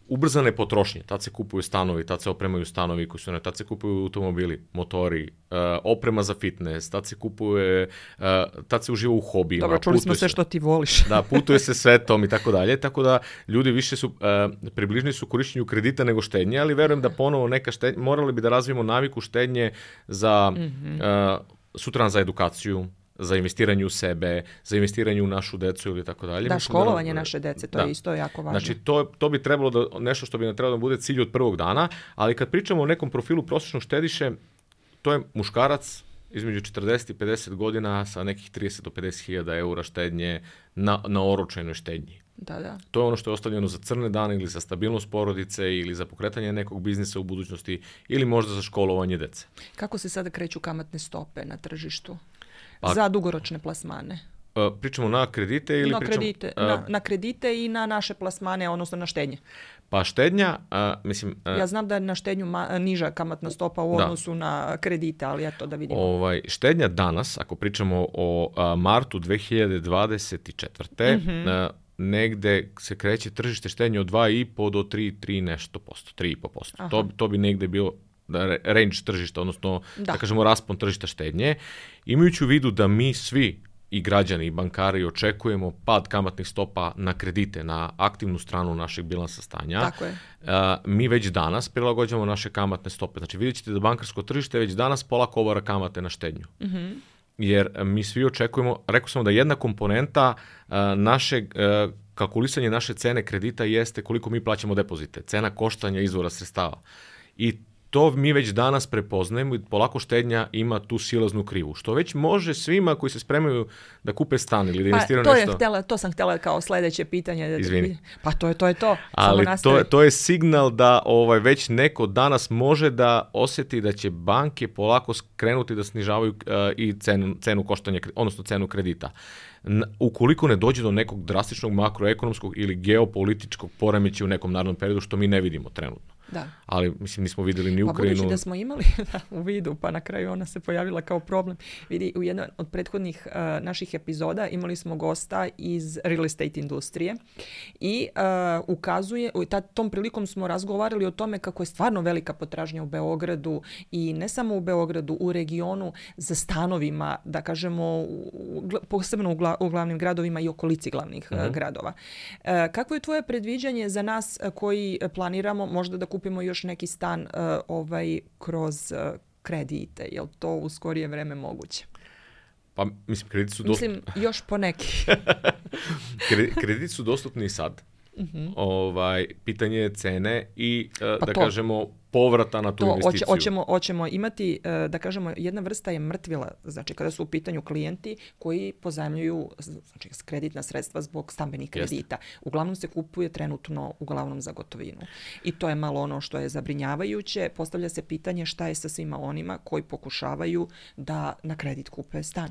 [SPEAKER 2] ubrzane potrošnje. Tad se kupuju stanovi, tad se opremaju stanovi, koji su ne, tad se kupuju automobili, motori, uh, oprema za fitness, tad se kupuje, uh, tad se uživa u hobijima.
[SPEAKER 1] Dobro, čuli smo sve što ti voliš.
[SPEAKER 2] Da, putuje se svetom i tako dalje, tako da ljudi više su, uh, približni su korišćenju kredita nego štednje, ali verujem da ponovo neka štednja, morali bi da razvijemo naviku štednje za, mm-hmm. uh, sutradan za edukaciju, za investiranje u sebe, za investiranje u našu decu ili tako dalje.
[SPEAKER 1] Da, školovanje da, naše dece, to da. je isto jako važno.
[SPEAKER 2] Znači, to, to bi trebalo da, nešto što bi nam trebalo da bude cilj od prvog dana, ali kad pričamo o nekom profilu prosječnog štediše, to je muškarac između četrdeset i pedeset godina sa nekih trideset do pedeset hiljada eura štednje na, na oročenoj štednji.
[SPEAKER 1] Da, da.
[SPEAKER 2] To je ono što je ostavljeno za crne dane ili za stabilnost porodice ili za pokretanje nekog biznisa u budućnosti ili možda za školovanje dece.
[SPEAKER 1] Kako se sada kreću kamatne stope na tržištu?
[SPEAKER 2] Pa,
[SPEAKER 1] za dugoročne plasmane?
[SPEAKER 2] Uh, pričamo na kredite ili
[SPEAKER 1] na
[SPEAKER 2] pričamo...
[SPEAKER 1] Kredite,
[SPEAKER 2] uh,
[SPEAKER 1] na, na kredite i na naše plasmane, odnosno na štednje.
[SPEAKER 2] Pa štednja, uh, mislim... Uh,
[SPEAKER 1] ja znam da je na štednju ma, niža kamatna stopa u odnosu da. na kredite, ali eto da vidimo.
[SPEAKER 2] Ovaj, štednja danas, ako pričamo o uh, martu dve hiljade dvadeset četvrte. Mm-hmm. Uh, negde se kreće tržište štednje od dva i po do tri, tri nešto posto, tri i po posto. To, to bi negde bio range tržišta, odnosno da, da kažemo raspon tržišta štednje. Imajući u vidu da mi svi i građani i bankari očekujemo pad kamatnih stopa na kredite, na aktivnu stranu našeg bilansa stanja.
[SPEAKER 1] Tako je.
[SPEAKER 2] Uh, mi već danas prilagođavamo naše kamatne stope. Znači vidjet ćete da bankarsko tržište već danas polako obara kamate na štednju. Mm-hmm. Jer mi svi očekujemo, rekao sam da jedna komponenta uh, našeg uh, kalkulisanja naše cene kredita jeste koliko mi plaćamo depozite, cena koštanja izvora sredstava. I to mi već danas prepoznajemo i polako štednja ima tu silaznu krivu, što već može svima koji se spremaju da kupe stan ili da investiraju
[SPEAKER 1] pa, to
[SPEAKER 2] nešto.
[SPEAKER 1] Je htjela, to sam htjela kao sljedeće pitanje.
[SPEAKER 2] Izvini.
[SPEAKER 1] Pa to je to. Je to.
[SPEAKER 2] Ali to, to je signal da ovaj, već neko danas može da osjeti da će banke polako krenuti da snižavaju uh, i cenu, cenu koštanja, odnosno cenu kredita. N- ukoliko ne dođe do nekog drastičnog makroekonomskog ili geopolitičkog poremećaja u nekom narednom periodu, što mi ne vidimo trenutno.
[SPEAKER 1] Da.
[SPEAKER 2] Ali, mislim, nismo vidjeli ni Ukrajinu.
[SPEAKER 1] Pa budući da smo imali u vidu, pa na kraju ona se pojavila kao problem. Vidi, u jednoj od prethodnih uh, naših epizoda imali smo gosta iz real estate industrije i uh, ukazuje, u tom prilikom smo razgovarali o tome kako je stvarno velika potražnja u Beogradu i ne samo u Beogradu, u regionu za stanovima, da kažemo, u, posebno u, gla, u glavnim gradovima i okolici glavnih uh-huh. uh, gradova. Uh, kakvo je tvoje predviđanje za nas uh, koji planiramo možda da kupimo još neki stan uh, ovaj, kroz uh, kredite? Je li to u skorije vreme moguće?
[SPEAKER 2] Pa, mislim, krediti su dostupni.
[SPEAKER 1] Mislim, još po neki.
[SPEAKER 2] Krediti su dostupni i sad. Uh-huh. Ovaj, pitanje je cene i, uh,
[SPEAKER 1] pa
[SPEAKER 2] da
[SPEAKER 1] to,
[SPEAKER 2] kažemo, povrata na tu
[SPEAKER 1] to,
[SPEAKER 2] investiciju.
[SPEAKER 1] Hoćemo, hoćemo imati, uh, da kažemo, jedna vrsta je mrtvila, znači kada su u pitanju klijenti koji pozajmljuju znači, kreditna sredstva zbog stambenih kredita. Jeste. Uglavnom se kupuje trenutno uglavnom za gotovinu. I to je malo ono što je zabrinjavajuće. Postavlja se pitanje šta je sa svima onima koji pokušavaju da na kredit kupe stan.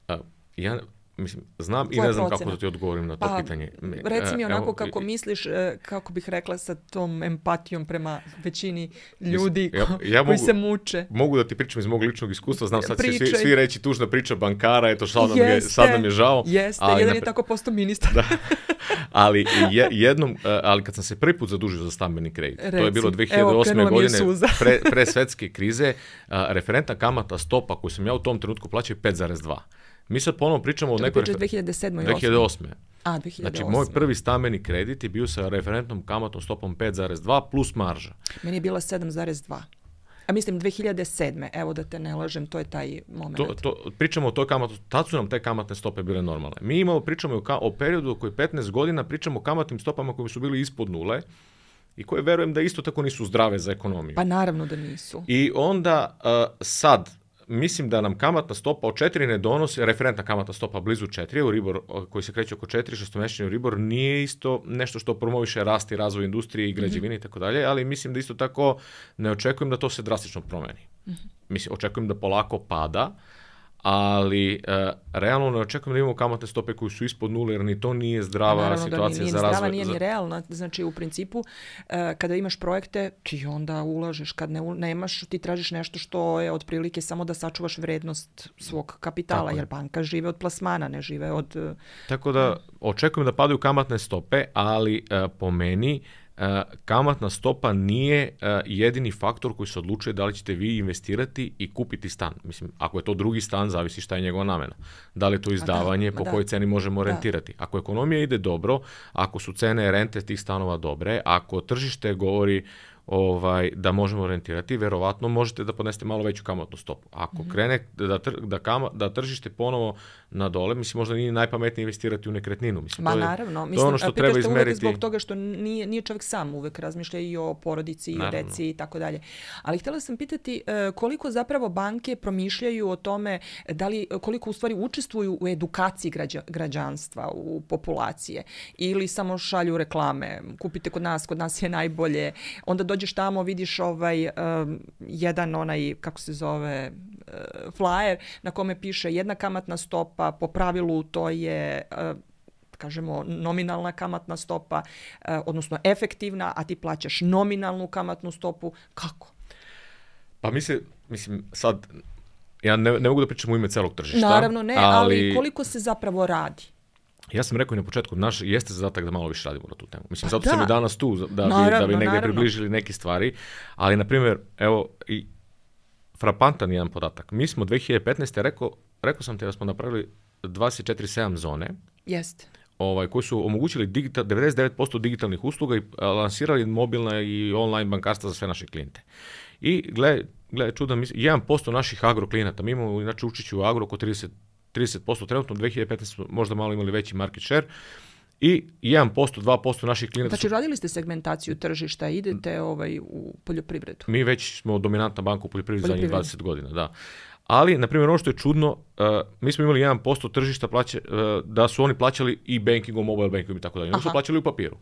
[SPEAKER 2] Uh, ja... Mislim, znam i ne znam procena? Kako da ti odgovorim na to
[SPEAKER 1] pa,
[SPEAKER 2] pitanje.
[SPEAKER 1] Reci mi onako
[SPEAKER 2] Evo,
[SPEAKER 1] kako misliš, kako bih rekla sa tom empatijom prema većini ljudi ko, ja, ja koji
[SPEAKER 2] mogu,
[SPEAKER 1] se muče.
[SPEAKER 2] Mogu da ti pričam iz mog ličnog iskustva, znam sad će svi, svi reći tužna priča bankara, eto sad nam, je, sad nam je žao.
[SPEAKER 1] Jeste, ali jedan napre... je tako postao ministar.
[SPEAKER 2] Da. Ali je, jednom, ali kad sam se prvi put zadužio za stambeni kredit, Reci, to je bilo dve hiljade osme. godine, pre, pre svetske krize, a, referentna kamata stopa koju sam ja u tom trenutku plaćao pet zarez dva. Mi sad ponovno pričamo o nekoj...
[SPEAKER 1] dve hiljade sedme.
[SPEAKER 2] dve hiljade osme.
[SPEAKER 1] A, dve hiljade osme.
[SPEAKER 2] Znači, moj prvi stambeni kredit je bio sa referentnom kamatnom stopom pet zarez dva plus marža.
[SPEAKER 1] Meni je bila sedam zarez dva. A mislim dve hiljade sedme. Evo da te ne lažem, to je taj moment.
[SPEAKER 2] To, to, pričamo o toj kamatnoj, tad su nam te kamatne stope bile normalne. Mi imamo, pričamo o, o periodu koji petnaest godina, pričamo o kamatnim stopama koji su bili ispod nule i koje verujem da isto tako nisu zdrave za ekonomiju.
[SPEAKER 1] Pa naravno da nisu.
[SPEAKER 2] I onda uh, sad... Mislim da nam kamatna stopa od četiri ne donosi, referentna kamatna stopa blizu četiri, Euribor koji se kreće oko četiri, šestomesečni Euribor nije isto nešto što promoviše rast i razvoj industrije i građevine i tako dalje, ali mislim da isto tako ne očekujem da to se drastično promeni. Mm-hmm. Mislim, očekujem da polako pada, ali uh, realno ne očekujem da imamo kamatne stope koje su ispod nule, jer ni to nije zdrava
[SPEAKER 1] naravno
[SPEAKER 2] situacija
[SPEAKER 1] da nije
[SPEAKER 2] za
[SPEAKER 1] zdrava,
[SPEAKER 2] razvoj.
[SPEAKER 1] Nije ni realna, znači u principu uh, kada imaš projekte, ti onda ulažeš, kad ne, nemaš, ti tražiš nešto što je otprilike samo da sačuvaš vrednost svog kapitala, tako jer banka žive od plasmana, ne žive od... Uh,
[SPEAKER 2] Tako da očekujem da padaju kamatne stope, ali uh, po meni Uh, kamatna stopa nije uh, jedini faktor koji se odlučuje da li ćete vi investirati i kupiti stan. Mislim, ako je to drugi stan, zavisi šta je njegova namena. Da li je to izdavanje, da, po da. kojoj ceni možemo rentirati. Ako ekonomija ide dobro, ako su cene rente tih stanova dobre, ako tržište govori ovaj, da možemo rentirati, verovatno možete da podnesete malo veću kamatnu stopu. Ako mm-hmm. krene da, tr, da, kama, da tržište ponovo na dole, mislim, možda nije najpametnije investirati u nekretninu. Mislim,
[SPEAKER 1] Ma
[SPEAKER 2] to je,
[SPEAKER 1] naravno, mislim,
[SPEAKER 2] to je ono što treba izmeriti.
[SPEAKER 1] Zbog toga što nije, nije čovjek sam, uvek razmišlja i o porodici, i o deci i tako dalje. Ali htjela sam pitati koliko zapravo banke promišljaju o tome, da li, koliko u stvari učestvuju u edukaciji građa, građanstva, u populacije, ili samo šalju reklame, kupite kod nas, kod nas je najbolje, onda dođeš tamo, vidiš ovaj, um, jedan onaj, kako se zove, uh, flyer na kome piše jedna kamatna stopa, po pravilu to je... Uh, kažemo nominalna kamatna stopa, uh, odnosno efektivna, a ti plaćaš nominalnu kamatnu stopu. Kako?
[SPEAKER 2] Pa mislim, mislim sad, ja ne, ne mogu da pričam u ime celog tržišta.
[SPEAKER 1] Naravno ne, ali, ali koliko se zapravo radi?
[SPEAKER 2] Ja sam rekao i na početku, naš jeste zadatak da malo više radimo na tu temu. Mislim, zato
[SPEAKER 1] da.
[SPEAKER 2] sam i danas tu, da bi,
[SPEAKER 1] naravno,
[SPEAKER 2] da bi negdje
[SPEAKER 1] naravno.
[SPEAKER 2] približili neke stvari. Ali, na primjer, evo, i frapantan jedan podatak. Mi smo dve hiljade petnaeste. rekao, rekao sam te da smo napravili dvadeset četiri sedam zone.
[SPEAKER 1] Jeste.
[SPEAKER 2] Ovaj, koji su omogućili digital, devedeset devet posto digitalnih usluga i lansirali mobilna i online bankarstva za sve naše klijente. I gle, gle čuda, jedan posto naših agro klijenata, mi imamo inače učeći u agro oko trideset, trideset posto trenutno, dve hiljade petnaeste. smo možda malo imali veći market share, i jedan posto, dva posto naših klijenata.
[SPEAKER 1] Znači, su... radili ste segmentaciju tržišta, idete ovaj, u poljoprivredu?
[SPEAKER 2] Mi već smo dominantna banka u poljoprivredi zadnjih dvadeset godina, da. Ali, na primjer, ono što je čudno, uh, mi smo imali jedan posto tržišta plaće, uh, da su oni plaćali i bankingom, mobile bankingom i tako dalje. Oni su plaćali u papiru.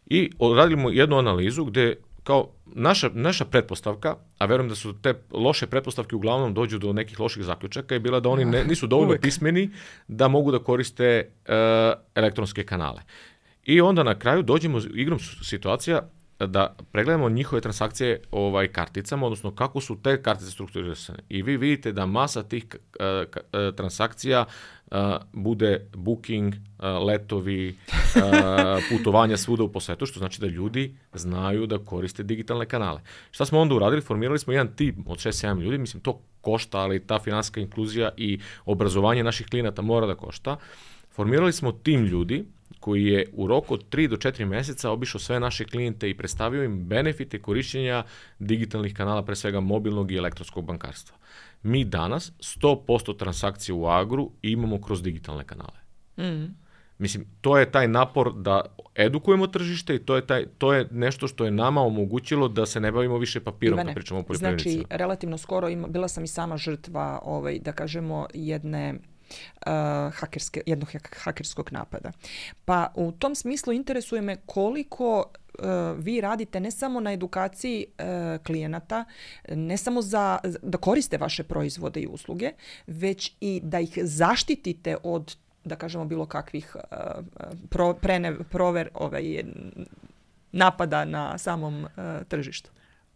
[SPEAKER 2] I radimo jednu analizu gdje kao naša, naša pretpostavka, a verujem da su te loše pretpostavke uglavnom dođu do nekih loših zaključaka, je bila da oni ne, nisu dovoljno pismeni da mogu da koriste uh, elektronske kanale. I onda na kraju dođemo igrom situacija da pregledamo njihove transakcije ovaj, karticama, odnosno kako su te kartice strukturirane. I vi vidite da masa tih uh, uh, transakcija uh, bude booking, uh, letovi, uh, putovanja svuda u posvetu, što znači da ljudi znaju da koriste digitalne kanale. Šta smo onda uradili? Formirali smo jedan tim od šest sedam ljudi, mislim to košta, ali ta financijska inkluzija i obrazovanje naših klijenata mora da košta. Formirali smo tim ljudi koji je u roku od tri do četiri mjeseca obišao sve naše klijente i predstavio im benefite korišćenja digitalnih kanala, pre svega mobilnog i elektronskog bankarstva. Mi danas sto posto transakcije u agru imamo kroz digitalne kanale. Mm. Mislim, to je taj napor da edukujemo tržište i to je, taj, to je nešto što je nama omogućilo da se ne bavimo više papirom,
[SPEAKER 1] Ivane,
[SPEAKER 2] kad pričamo o poljoprivrednicima.
[SPEAKER 1] Znači, relativno skoro ima, bila sam i sama žrtva, ovaj, da kažemo, jedne... Uh, hakerske, jednog hakerskog napada. Pa u tom smislu interesuje me koliko uh, vi radite ne samo na edukaciji uh, klijenata, ne samo za, da koriste vaše proizvode i usluge, već i da ih zaštitite od, da kažemo, bilo kakvih uh, pro, prene, prover, ovaj, napada na samom uh, tržištu.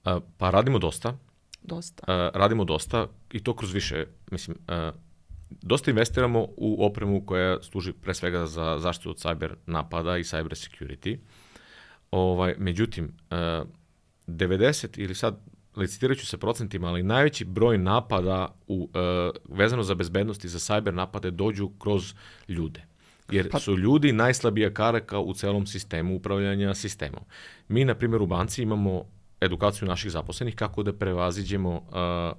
[SPEAKER 2] Uh, pa radimo dosta.
[SPEAKER 1] Dosta.
[SPEAKER 2] Uh, radimo dosta i to kroz više, mislim, uh, dosta investiramo u opremu koja služi pre svega za zaštitu od cyber napada i cyber security. Ovaj, međutim, devedeset ili sad licitirat ću se procentima, ali najveći broj napada u, vezano za bezbednost i za cyber napade dođu kroz ljude. Jer pa... su ljudi najslabija karika u celom sistemu upravljanja sistemom. Mi, na primjer, u banci imamo edukaciju naših zaposlenih, kako da prevaziđemo, uh,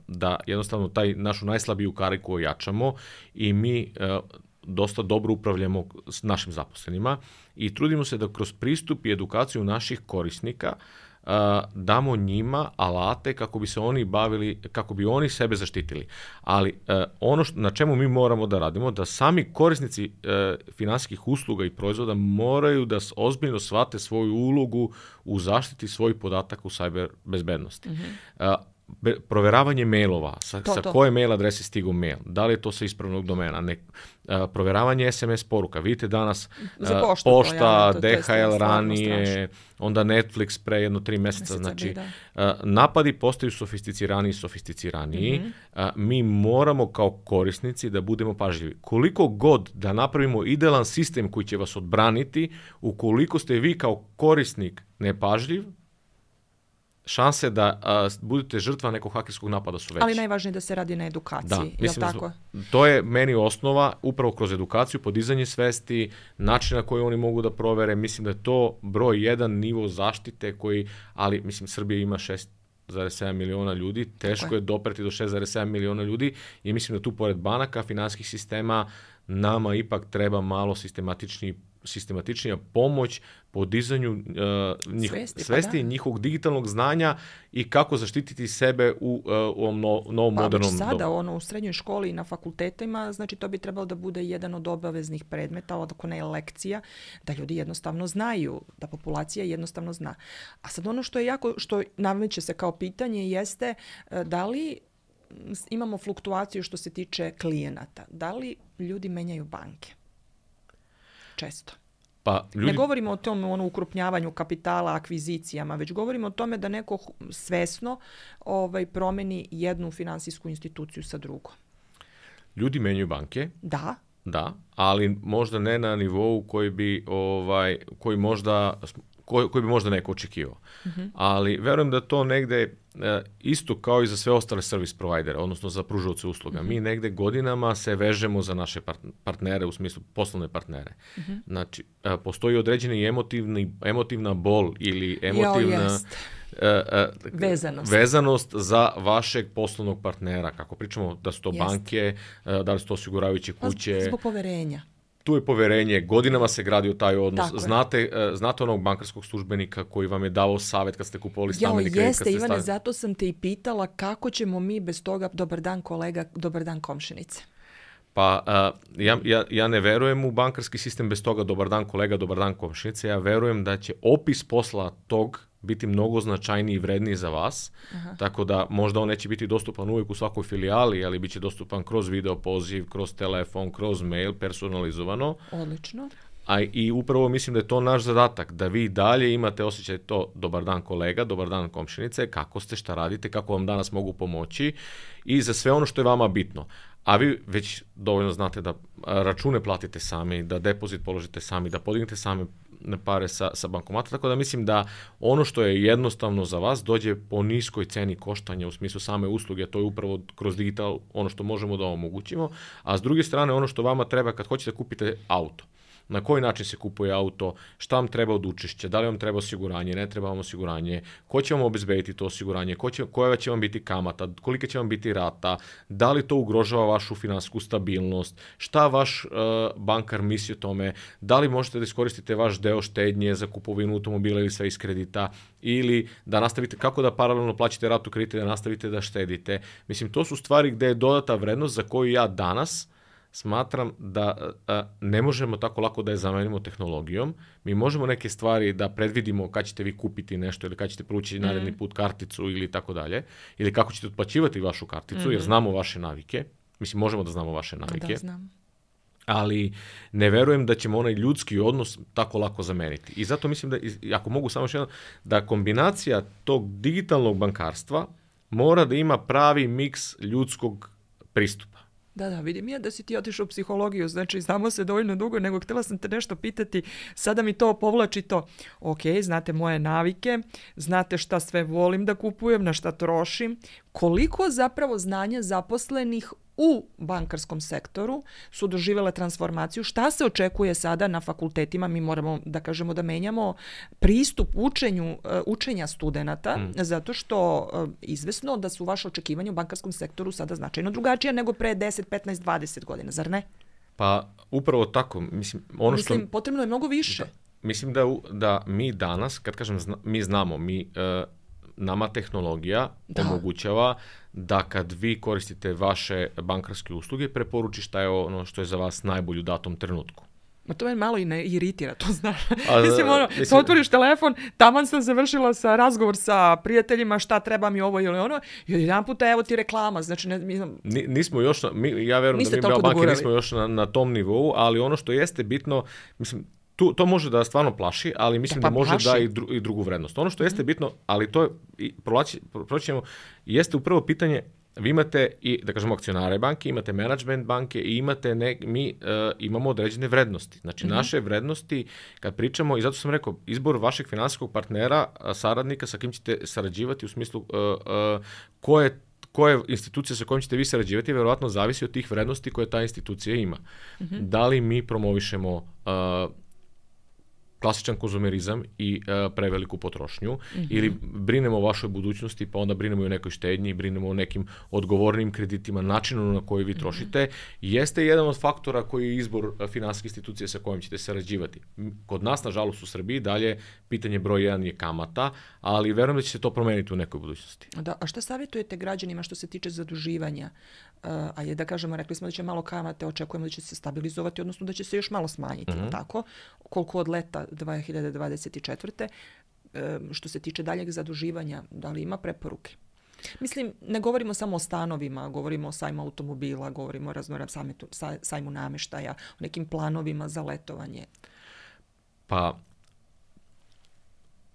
[SPEAKER 2] da jednostavno taj našu najslabiju kariku ojačamo i mi uh, dosta dobro upravljamo s našim zaposlenima i trudimo se da kroz pristup i edukaciju naših korisnika uh, damo njima alate kako bi se oni bavili, kako bi oni sebe zaštitili. Ali uh, ono što, na čemu mi moramo da radimo, da sami korisnici uh, finansijskih usluga i proizvoda moraju da ozbiljno shvate svoju ulogu u zaštiti svojih podataka u cyber bezbednosti. Mm-hmm. Uh, be, proveravanje mailova, sa,
[SPEAKER 1] to,
[SPEAKER 2] sa
[SPEAKER 1] to.
[SPEAKER 2] koje mail adrese stigu mail, da li je to sa ispravnog domena, ne, uh, proveravanje es em es poruka, vidite danas uh,
[SPEAKER 1] poštu,
[SPEAKER 2] pošta,
[SPEAKER 1] to,
[SPEAKER 2] de ha el ranije,
[SPEAKER 1] strašno.
[SPEAKER 2] Onda Netflix pre jedno tri mjeseca, znači uh, napadi postaju sofisticiraniji i sofisticiraniji, mm-hmm. uh, mi moramo kao korisnici da budemo pažljivi. Koliko god da napravimo idealan sistem koji će vas odbraniti, ukoliko ste vi kao korisnik nepažljiv, šanse da a, budete žrtva nekog hakerskog napada su veće.
[SPEAKER 1] Ali najvažnije da se radi na edukaciji,
[SPEAKER 2] da,
[SPEAKER 1] je li tako?
[SPEAKER 2] To je meni osnova, upravo kroz edukaciju, podizanje svesti, način na koji oni mogu da provere. Mislim da je to broj jedan nivo zaštite koji, ali mislim Srbija ima šest zarez sedam miliona ljudi, teško je dopreti do šest zarez sedam miliona ljudi i mislim da tu pored banaka, finansijskih sistema, nama ipak treba malo sistematični sistematičnija pomoć podizanju uh, njih,
[SPEAKER 1] svesti,
[SPEAKER 2] svesti
[SPEAKER 1] pa da.
[SPEAKER 2] njihovog digitalnog znanja i kako zaštititi sebe u, uh, u ovom no, novom
[SPEAKER 1] pa
[SPEAKER 2] modernom
[SPEAKER 1] dobu. Pa sada
[SPEAKER 2] dobu.
[SPEAKER 1] ono, u srednjoj školi i na fakultetima, znači to bi trebalo da bude jedan od obaveznih predmeta, ako ne lekcija, da ljudi jednostavno znaju, da populacija jednostavno zna. A sad ono što je jako, što nameće se kao pitanje jeste da li imamo fluktuaciju što se tiče klijenata. Da li ljudi menjaju banke? Često.
[SPEAKER 2] Pa, ljudi...
[SPEAKER 1] Ne govorimo o tom ono, ukrupnjavanju kapitala, akvizicijama, već govorimo o tome da neko svesno ovaj, promeni jednu finansijsku instituciju sa drugom.
[SPEAKER 2] Ljudi menjaju banke.
[SPEAKER 1] Da.
[SPEAKER 2] Da, ali možda ne na nivou koji bi, ovaj, koji možda... Koji, koji bi možda neko očekivao. Mm-hmm. Ali verujem da to negde e, isto kao i za sve ostale service providere, odnosno za pružaoce usluga. Mm-hmm. Mi negde godinama se vežemo za naše part- partnere, u smislu poslovne partnere. Mm-hmm. Znači, e, postoji određeni emotivni, emotivna bol ili emotivna e, e,
[SPEAKER 1] vezanost.
[SPEAKER 2] vezanost za vašeg poslovnog partnera. Kako pričamo da su to jest. banke, e, da li su to osiguravajuće kuće.
[SPEAKER 1] Zbog poverenja.
[SPEAKER 2] Tu je poverenje, godinama se gradio taj odnos.
[SPEAKER 1] Tako
[SPEAKER 2] znate, uh, znate onog bankarskog službenika koji vam je davao savjet kad ste kupovali stambeni kredit.
[SPEAKER 1] Jeste, Ivane,
[SPEAKER 2] stavili...
[SPEAKER 1] zato sam te i pitala kako ćemo mi bez toga, dobar dan kolega, dobar dan komšinice.
[SPEAKER 2] Pa uh, ja, ja, ja ne verujem u bankarski sistem bez toga dobar dan kolega, dobar dan komšinice. Ja verujem da će opis posla tog biti mnogo značajniji i vredniji za vas. Aha. Tako da možda on neće biti dostupan uvijek u svakoj filijali, ali bit će dostupan kroz video poziv, kroz telefon, kroz mail, personalizovano.
[SPEAKER 1] Odlično.
[SPEAKER 2] A i upravo mislim da je to naš zadatak, da vi dalje imate osjećaj to dobar dan kolega, dobar dan komšinice, kako ste, šta radite, kako vam danas mogu pomoći i za sve ono što je vama bitno. A vi već dovoljno znate da račune platite sami, da depozit položite sami, da podignete sami pare sa, sa bankomata, tako da mislim da ono što je jednostavno za vas dođe po niskoj ceni koštanja u smislu same usluge, to je upravo kroz digital ono što možemo da omogućimo, a s druge strane ono što vama treba kad hoćete da kupite auto. Na koji način se kupuje auto, šta vam treba od učešća, da li vam treba osiguranje, ne treba vam osiguranje, ko će vam obezbediti to osiguranje, ko će, koja će vam biti kamata, kolika će vam biti rata, da li to ugrožava vašu finansijsku stabilnost, šta vaš uh, bankar misli o tome, da li možete da iskoristite vaš deo štednje za kupovinu automobila ili sve iz kredita, ili da nastavite, kako da paralelno plaćate ratu kredita, da nastavite da štedite. Mislim, to su stvari gde je dodata vrednost za koju ja danas smatram da a, ne možemo tako lako da je zamenimo tehnologijom. Mi možemo neke stvari da predvidimo kad ćete vi kupiti nešto ili kad ćete prući mm. naredni put karticu ili tako dalje, ili kako ćete otplaćivati vašu karticu, mm. jer znamo vaše navike. Mislim, možemo da znamo vaše navike.
[SPEAKER 1] Da, znam.
[SPEAKER 2] Ali ne verujem da ćemo onaj ljudski odnos tako lako zameniti. I zato mislim da, ako mogu samo još jedno, da kombinacija tog digitalnog bankarstva mora da ima pravi miks ljudskog pristupa.
[SPEAKER 1] Da, da, vidim ja da si ti otišao u psihologiju, znači znamo se dovoljno dugo, nego htjela sam te nešto pitati, sada mi to povlači to. Ok, znate moje navike, znate šta sve volim da kupujem, na šta trošim, koliko zapravo znanja zaposlenih u bankarskom sektoru su doživjele transformaciju, šta se očekuje sada na fakultetima, mi moramo da kažemo da menjamo pristup učenju, učenja studenata, mm. zato što izvesno da su vaše očekivanja u bankarskom sektoru sada značajno drugačije nego pre deset, petnaest, dvadeset godina, zar ne?
[SPEAKER 2] Pa upravo tako. Mislim, ono
[SPEAKER 1] mislim
[SPEAKER 2] što,
[SPEAKER 1] potrebno je mnogo više.
[SPEAKER 2] Da, mislim da, da mi danas, kad kažem zna, mi znamo, mi... Uh, nama tehnologija da. omogućava da kad vi koristite vaše bankarske usluge, preporuči šta je ono što je za vas najbolje u datom trenutku.
[SPEAKER 1] Ma to me malo i ne iritira, to znaš. A, mislim, ono, mislim, otvoriš telefon, taman sam završila sa razgovor sa prijateljima, šta treba mi ovo ili ono, i jedan puta evo ti reklama, znači ne... Mi,
[SPEAKER 2] nismo još, na, mi, ja verujem da mi Beo banke nismo još na, na tom nivou, ali ono što jeste bitno, mislim, Tu, to može da stvarno plaši, ali mislim pa, da može plaši. da i, dru, i drugu vrednost. Ono što jeste bitno, ali to je, proćemo, jeste upravo pitanje, vi imate i, da kažemo, akcionare banke, imate management banke i imate ne, mi uh, imamo određene vrednosti. Znači, mm-hmm. naše vrednosti, kad pričamo, i zato sam rekao, izbor vašeg finansijskog partnera, saradnika sa kim ćete sarađivati u smislu uh, uh, ko je koje institucije sa kojom ćete vi sarađivati, vjerovatno zavisi od tih vrednosti koje ta institucija ima. Mm-hmm. Da li mi promovišemo uh, klasičan konzumerizam i uh, preveliku potrošnju, mm-hmm. ili brinemo o vašoj budućnosti, pa onda brinemo i o nekoj štednji, brinemo o nekim odgovornim kreditima, načinu na koji vi trošite, mm-hmm. jeste jedan od faktora koji je izbor finansijske institucije sa kojim ćete sarađivati. Kod nas, nažalost, u Srbiji dalje pitanje broj jedan je kamata, ali verujem da će se to promeniti u nekoj budućnosti.
[SPEAKER 1] Da, a šta savjetujete građanima što se tiče zaduživanja? Uh, a je da kažemo, rekli smo da će malo kamate, očekujemo da će se stabilizovati, odnosno da će se još malo smanjiti, mm-hmm. tako? Koliko od leta dve hiljade dvadeset četvrte. Uh, što se tiče daljeg zaduživanja, da li ima preporuke? Mislim, ne govorimo samo o stanovima, govorimo o sajmu automobila, govorimo o raznoram sajmu namještaja, o nekim planovima za letovanje.
[SPEAKER 2] Pa,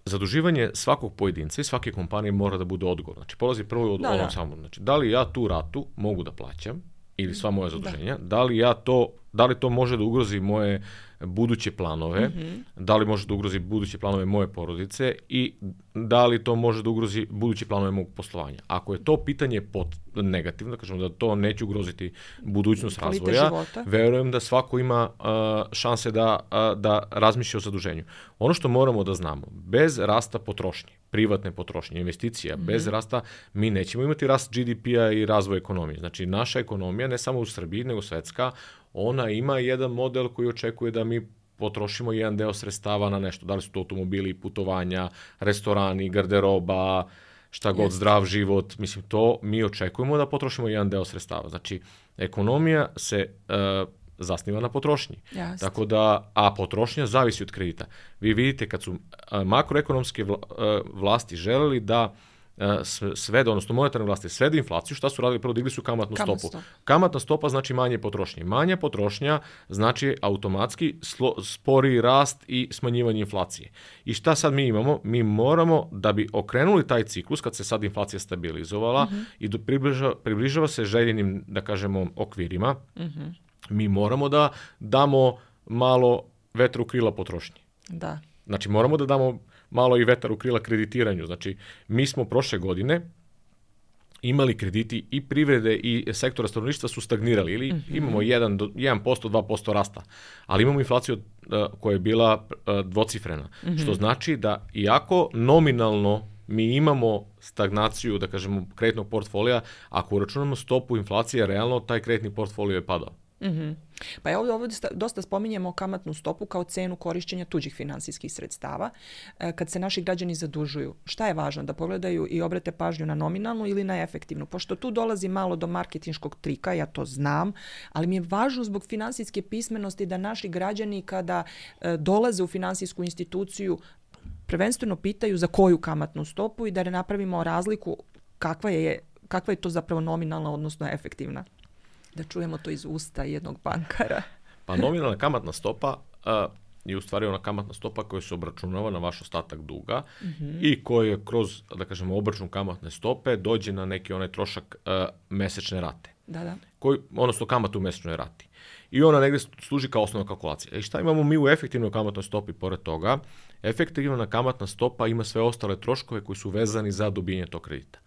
[SPEAKER 2] zaduživanje svakog pojedinca i svake kompanije mora da bude odgovor. Znači, polazi prvo od ovom samom. Znači, da li ja tu ratu mogu da plaćam ili sva moja zaduženja, da, da li ja to, da li to može da ugrozi moje buduće planove, mm-hmm. da li može da ugrozi buduće planove moje porodice i da li to može da ugrozi buduće planove mog poslovanja. Ako je to pitanje pot negativno, da kažemo da to neće ugroziti budućnost
[SPEAKER 1] Kvalite
[SPEAKER 2] razvoja,
[SPEAKER 1] života.
[SPEAKER 2] Verujem da svako ima uh, šanse da, uh, da razmišlja o zaduženju. Ono što moramo da znamo, bez rasta potrošnje, privatne potrošnje, investicija, mm-hmm. bez rasta mi nećemo imati rast G D P-a i razvoj ekonomije. Znači, naša ekonomija, ne samo u Srbiji, nego svetska, ona ima jedan model koji očekuje da mi potrošimo jedan deo sredstava na nešto. Da li su to automobili, putovanja, restorani, garderoba, šta god, Jest. zdrav život. Mislim, to mi očekujemo da potrošimo jedan deo sredstava. Znači, ekonomija se uh, zasniva na potrošnji.
[SPEAKER 1] Jest.
[SPEAKER 2] Tako da, a potrošnja zavisi od kredita. Vi vidite kad su uh, makroekonomske vla, uh, vlasti želeli da svede, odnosno monetarne vlasti svede inflaciju, šta su radili? Prvo digli su kamatnu
[SPEAKER 1] Kamat
[SPEAKER 2] stopu.
[SPEAKER 1] stop.
[SPEAKER 2] Kamatna stopa znači manje potrošnje. Manja potrošnja znači automatski slo, spori rast i smanjivanje inflacije. I šta sad mi imamo? Mi moramo, da bi okrenuli taj ciklus, kad se sad inflacija stabilizovala mm-hmm. i do, približava, približava se željenim, da kažemo, okvirima, mm-hmm. mi moramo da damo malo vetra u krila potrošnje.
[SPEAKER 1] Da.
[SPEAKER 2] Znači, moramo da damo malo i vetar u krila kreditiranju. Znači, mi smo prošle godine imali krediti i privrede i sektora stanovništva su stagnirali ili mm-hmm. imamo jedan do jedan posto, dva posto rasta, ali imamo inflaciju uh, koja je bila uh, dvocifrena, mm-hmm. što znači da iako nominalno mi imamo stagnaciju, da kažemo, kreditnog portfolija, ako uračunamo stopu inflacije, realno taj kreditni portfolio je padao.
[SPEAKER 1] Mm-hmm. Pa ja ovdje, ovdje dosta spominjemo kamatnu stopu kao cenu korišćenja tuđih finansijskih sredstava. E, kad se naši građani zadužuju, šta je važno? Da pogledaju i obrate pažnju na nominalnu ili na efektivnu? Pošto tu dolazi malo do marketinškog trika, ja to znam, ali mi je važno zbog finansijske pismenosti da naši građani kada e, dolaze u finansijsku instituciju prvenstveno pitaju za koju kamatnu stopu i da ne napravimo razliku kakva je, kakva je to zapravo nominalna odnosno efektivna. Da čujemo to iz usta jednog bankara.
[SPEAKER 2] Pa nominalna kamatna stopa uh, je u stvari ona kamatna stopa koja se obračunava na vaš ostatak duga mm-hmm. i koja kroz, da kažemo, obračun kamatne stope dođe na neki onaj trošak uh, mesečne rate.
[SPEAKER 1] Da, da.
[SPEAKER 2] Koji, odnosno kamatu u mesečnoj rati. I ona negdje služi kao osnovna kalkulacija. I šta imamo mi u efektivnoj kamatnoj stopi pored toga? Efektivna kamatna stopa ima sve ostale troškove koji su vezani za dobijanje tog kredita.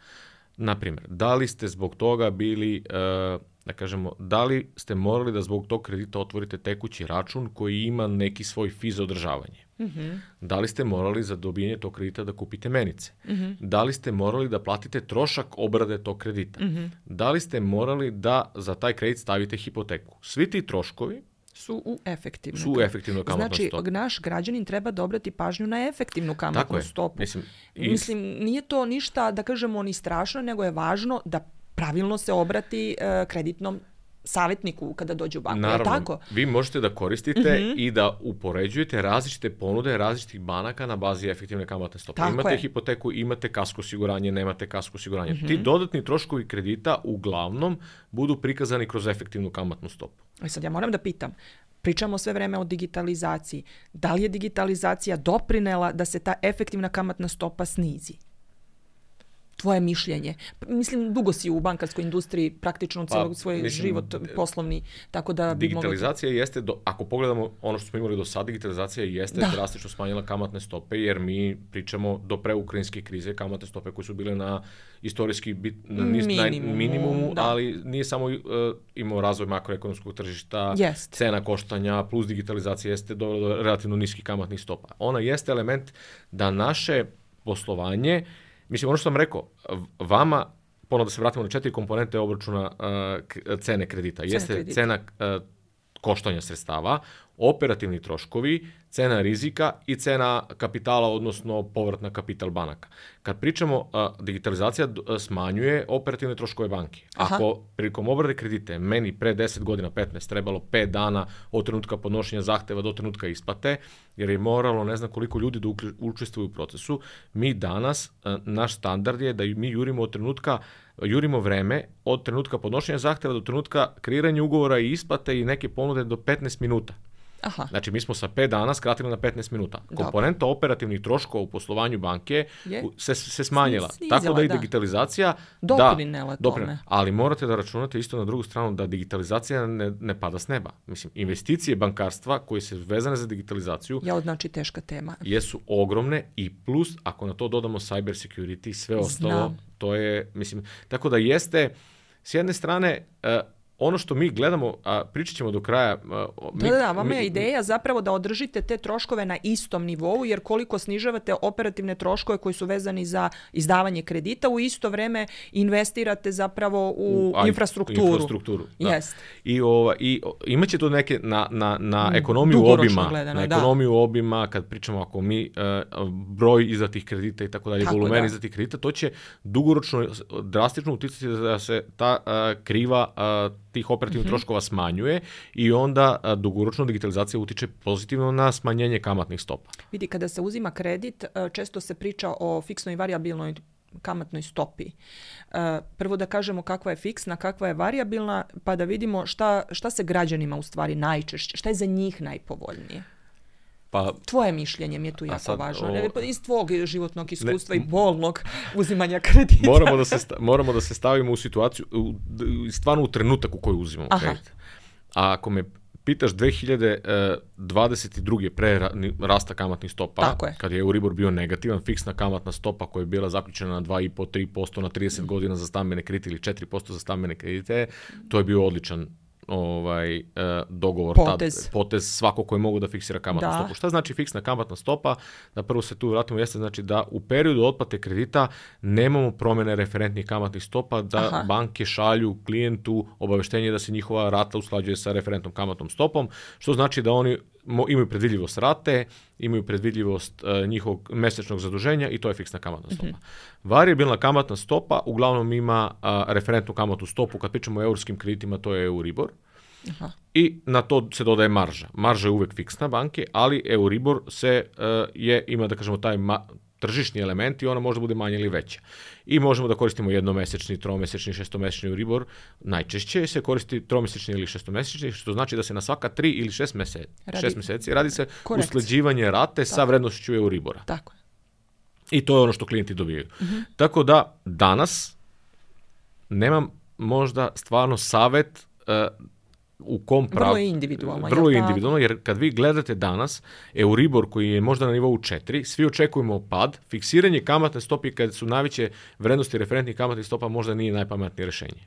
[SPEAKER 2] Naprimjer, da li ste zbog toga bili, uh, da kažemo, da li ste morali da zbog tog kredita otvorite tekući račun koji ima neki svoj fi za održavanje? Mm-hmm. Da li ste morali za dobijanje tog kredita da kupite menice? Mm-hmm. Da li ste morali da platite trošak obrade tog kredita? Mm-hmm. Da li ste morali da za taj kredit stavite hipoteku? Svi ti troškovi
[SPEAKER 1] su u efektivnoj
[SPEAKER 2] su u efektivnoj kamatnoj
[SPEAKER 1] znači,
[SPEAKER 2] stopi.
[SPEAKER 1] Znači, naš građanin treba da obrati pažnju na efektivnu kamatnu stopu.
[SPEAKER 2] Mislim,
[SPEAKER 1] i... Mislim, nije to ništa, da kažemo, ni strašno, nego je važno da pravilno se obrati uh, kreditnom savjetniku kada dođe u banku.
[SPEAKER 2] Naravno,
[SPEAKER 1] je tako?
[SPEAKER 2] Vi možete da koristite mm-hmm. i da upoređujete različite ponude različitih banaka na bazi efektivne kamatne stope.
[SPEAKER 1] Tako
[SPEAKER 2] imate
[SPEAKER 1] je.
[SPEAKER 2] hipoteku, imate kasko osiguranje, nemate kasko osiguranje.
[SPEAKER 1] Mm-hmm.
[SPEAKER 2] Ti dodatni troškovi kredita uglavnom budu prikazani kroz efektivnu kamatnu stopu.
[SPEAKER 1] I sad ja moram da pitam, pričamo sve vreme o digitalizaciji. Da li je digitalizacija doprinela da se ta efektivna kamatna stopa snizi? Tvoje mišljenje. Mislim, dugo si u bankarskoj industriji, praktično cijeli
[SPEAKER 2] pa,
[SPEAKER 1] svoj
[SPEAKER 2] mislim,
[SPEAKER 1] život poslovni, tako da bi
[SPEAKER 2] digitalizacija
[SPEAKER 1] mogli...
[SPEAKER 2] jeste, do, ako pogledamo ono što smo imali do sada, digitalizacija jeste
[SPEAKER 1] da.
[SPEAKER 2] drastično smanjila kamatne stope, jer mi pričamo do preukrajinske krize, kamatne stope koje su bile na istorijski bit, na niz,
[SPEAKER 1] Minimumu,
[SPEAKER 2] minimumu,
[SPEAKER 1] da.
[SPEAKER 2] ali nije samo uh, imao razvoj makroekonomskog tržišta,
[SPEAKER 1] Jest.
[SPEAKER 2] cena koštanja, plus digitalizacija jeste dovela do relativno niskih kamatnih stopa. Ona jeste element da naše poslovanje, mislim, ono što sam rekao, vama, ponovno da se vratimo na četiri komponente obračuna uh, cene kredita.
[SPEAKER 1] Cena
[SPEAKER 2] Jeste
[SPEAKER 1] kredita.
[SPEAKER 2] cena uh, koštanja sredstava, operativni troškovi, cena rizika i cena kapitala, odnosno povrat na kapital banaka. Kad pričamo, uh, digitalizacija uh, smanjuje operativne troškove banke.
[SPEAKER 1] Aha.
[SPEAKER 2] Ako prilikom obrade kredite meni pre deset godina, petnaest, trebalo pet dana od trenutka podnošenja zahteva do trenutka isplate, jer je moralo ne znam koliko ljudi da učestvuju u procesu, mi danas, uh, naš standard je da mi jurimo od trenutka jurimo vreme od trenutka podnošenja zahteva do trenutka kreiranja ugovora i isplate i neke ponude do petnaest minuta.
[SPEAKER 1] Aha.
[SPEAKER 2] Znači, mi smo sa pet dana skratili na petnaest minuta.
[SPEAKER 1] Dobro.
[SPEAKER 2] Komponenta operativnih troškova u poslovanju banke
[SPEAKER 1] je?
[SPEAKER 2] se, se smanjila.
[SPEAKER 1] Snizila,
[SPEAKER 2] Tako da i
[SPEAKER 1] da.
[SPEAKER 2] digitalizacija...
[SPEAKER 1] Doprinela
[SPEAKER 2] da,
[SPEAKER 1] tome.
[SPEAKER 2] doprinela. Ali morate da računate isto na drugu stranu da digitalizacija ne, ne pada s neba. Mislim, investicije bankarstva koje se vezane za digitalizaciju
[SPEAKER 1] Ja, znači teška tema.
[SPEAKER 2] jesu ogromne i plus, ako na to dodamo cyber security i sve ostalo,
[SPEAKER 1] Znam.
[SPEAKER 2] to je, mislim, tako da jeste, s jedne strane, uh, ono što mi gledamo, a pričat ćemo do kraja... Uh, mi,
[SPEAKER 1] Da, da, da, vama je
[SPEAKER 2] mi,
[SPEAKER 1] ideja zapravo da održite te troškove na istom nivou, jer koliko snižavate operativne troškove koji su vezani za izdavanje kredita, u isto vreme investirate zapravo u,
[SPEAKER 2] u
[SPEAKER 1] infrastrukturu.
[SPEAKER 2] infrastrukturu da.
[SPEAKER 1] Jest.
[SPEAKER 2] I, ova, i imat će to neke na, na, na ekonomiju
[SPEAKER 1] Dugoročno
[SPEAKER 2] obima,
[SPEAKER 1] gledano,
[SPEAKER 2] na
[SPEAKER 1] da.
[SPEAKER 2] ekonomiju obima, kad pričamo ako mi uh, broj izdatih kredita i tako dalje,
[SPEAKER 1] Tako,
[SPEAKER 2] volumen
[SPEAKER 1] da.
[SPEAKER 2] izdatih kredita, to će dugoročno drastično uticati da se ta uh, kriva uh, tih operativnih mm-hmm. troškova smanjuje i onda a, dugoročno digitalizacija utiče pozitivno na smanjenje kamatnih stopa.
[SPEAKER 1] Vidi, kada se uzima kredit, često se priča o fiksnoj i varijabilnoj kamatnoj stopi. Prvo da kažemo kakva je fiksna, kakva je varijabilna, pa da vidimo šta, šta se građanima u stvari najčešće, šta je za njih najpovoljnije.
[SPEAKER 2] Pa,
[SPEAKER 1] Tvoje mišljenje mi je tu jako
[SPEAKER 2] sad,
[SPEAKER 1] važno.
[SPEAKER 2] o...
[SPEAKER 1] Iz tvog životnog iskustva
[SPEAKER 2] ne,
[SPEAKER 1] i bolnog uzimanja kredita.
[SPEAKER 2] Moramo da se, sta, moramo da se stavimo u situaciju, u, stvarno u trenutak u kojoj uzimamo
[SPEAKER 1] Aha.
[SPEAKER 2] kredit. A ako me pitaš dve hiljade dvadeset druge pre rasta kamatnih stopa,
[SPEAKER 1] je.
[SPEAKER 2] kad je Euribor bio negativan, fiksna kamatna stopa koja je bila zaključena na dva i po do tri posto na trideset mm. godina za stambene kredite ili četiri posto za stambene kredite, to je bio odličan ovaj uh, dogovor,
[SPEAKER 1] potez.
[SPEAKER 2] Tad, potez svako koji mogu da fiksira kamatnu
[SPEAKER 1] da.
[SPEAKER 2] stopu. Šta znači fiksna kamatna stopa? Da prvo se tu vratimo, jeste znači da u periodu otplate kredita nemamo promjene referentnih kamatnih stopa, da
[SPEAKER 1] Aha.
[SPEAKER 2] banke šalju klijentu obaveštenje da se njihova rata usklađuje sa referentnom kamatnom stopom, što znači da oni imaju predvidljivost rate, imaju predvidljivost uh, njihovog mesečnog zaduženja i to je fiksna kamatna stopa. Mm-hmm. Varijabilna kamatna stopa uglavnom ima uh, referentnu kamatnu stopu, kad pričamo o eurskim kreditima, to je Euribor. Aha. I na to se dodaje marža. Marža je uvek fiksna banke, ali Euribor se uh, je, ima da kažemo taj ma- tržišni element i ona može da bude manja ili veća. I možemo da koristimo jednomesečni, tromesečni, šestomesečni Euribor. Najčešće se koristi tromesečni ili šestomesečni, što znači da se na svaka tri ili šest, mese, radi, šest meseci radi se korekcija. Usklađivanje rate Tako. sa vrednošću Euribora.
[SPEAKER 1] Tako je.
[SPEAKER 2] I to je ono što klijenti dobijaju. Mm-hmm. Tako da danas nemam možda stvarno savet uh, u kom prav...
[SPEAKER 1] Vrlo je individualno.
[SPEAKER 2] Vrlo je individualno, jer kad vi gledate danas Euribor koji je možda na nivou četiri, svi očekujemo pad, fiksiranje kamatne stope kad su najveće vrednosti referentnih kamatnih stopa možda nije najpametnije rješenje.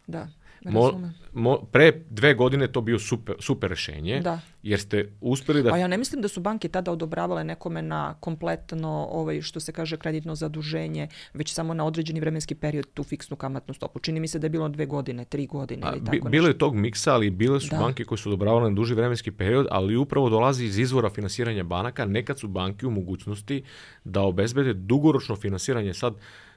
[SPEAKER 1] Da.
[SPEAKER 2] Mo, mo, pre dve godine to bio super, super rješenje,
[SPEAKER 1] da.
[SPEAKER 2] jer ste uspjeli da...
[SPEAKER 1] A ja ne mislim da su banke tada odobravale nekome na kompletno, ovaj, što se kaže, kreditno zaduženje, već samo na određeni vremenski period tu fiksnu kamatnu stopu. Čini mi se da je bilo dve godine, tri godine ili tako nešto.
[SPEAKER 2] Bilo je tog miksa, ali bile su da. banke koje su odobravale na duži vremenski period, ali upravo dolazi iz izvora finansiranja banaka. Nekad su banke u mogućnosti da obezbede dugoročno finansiranje. Sad,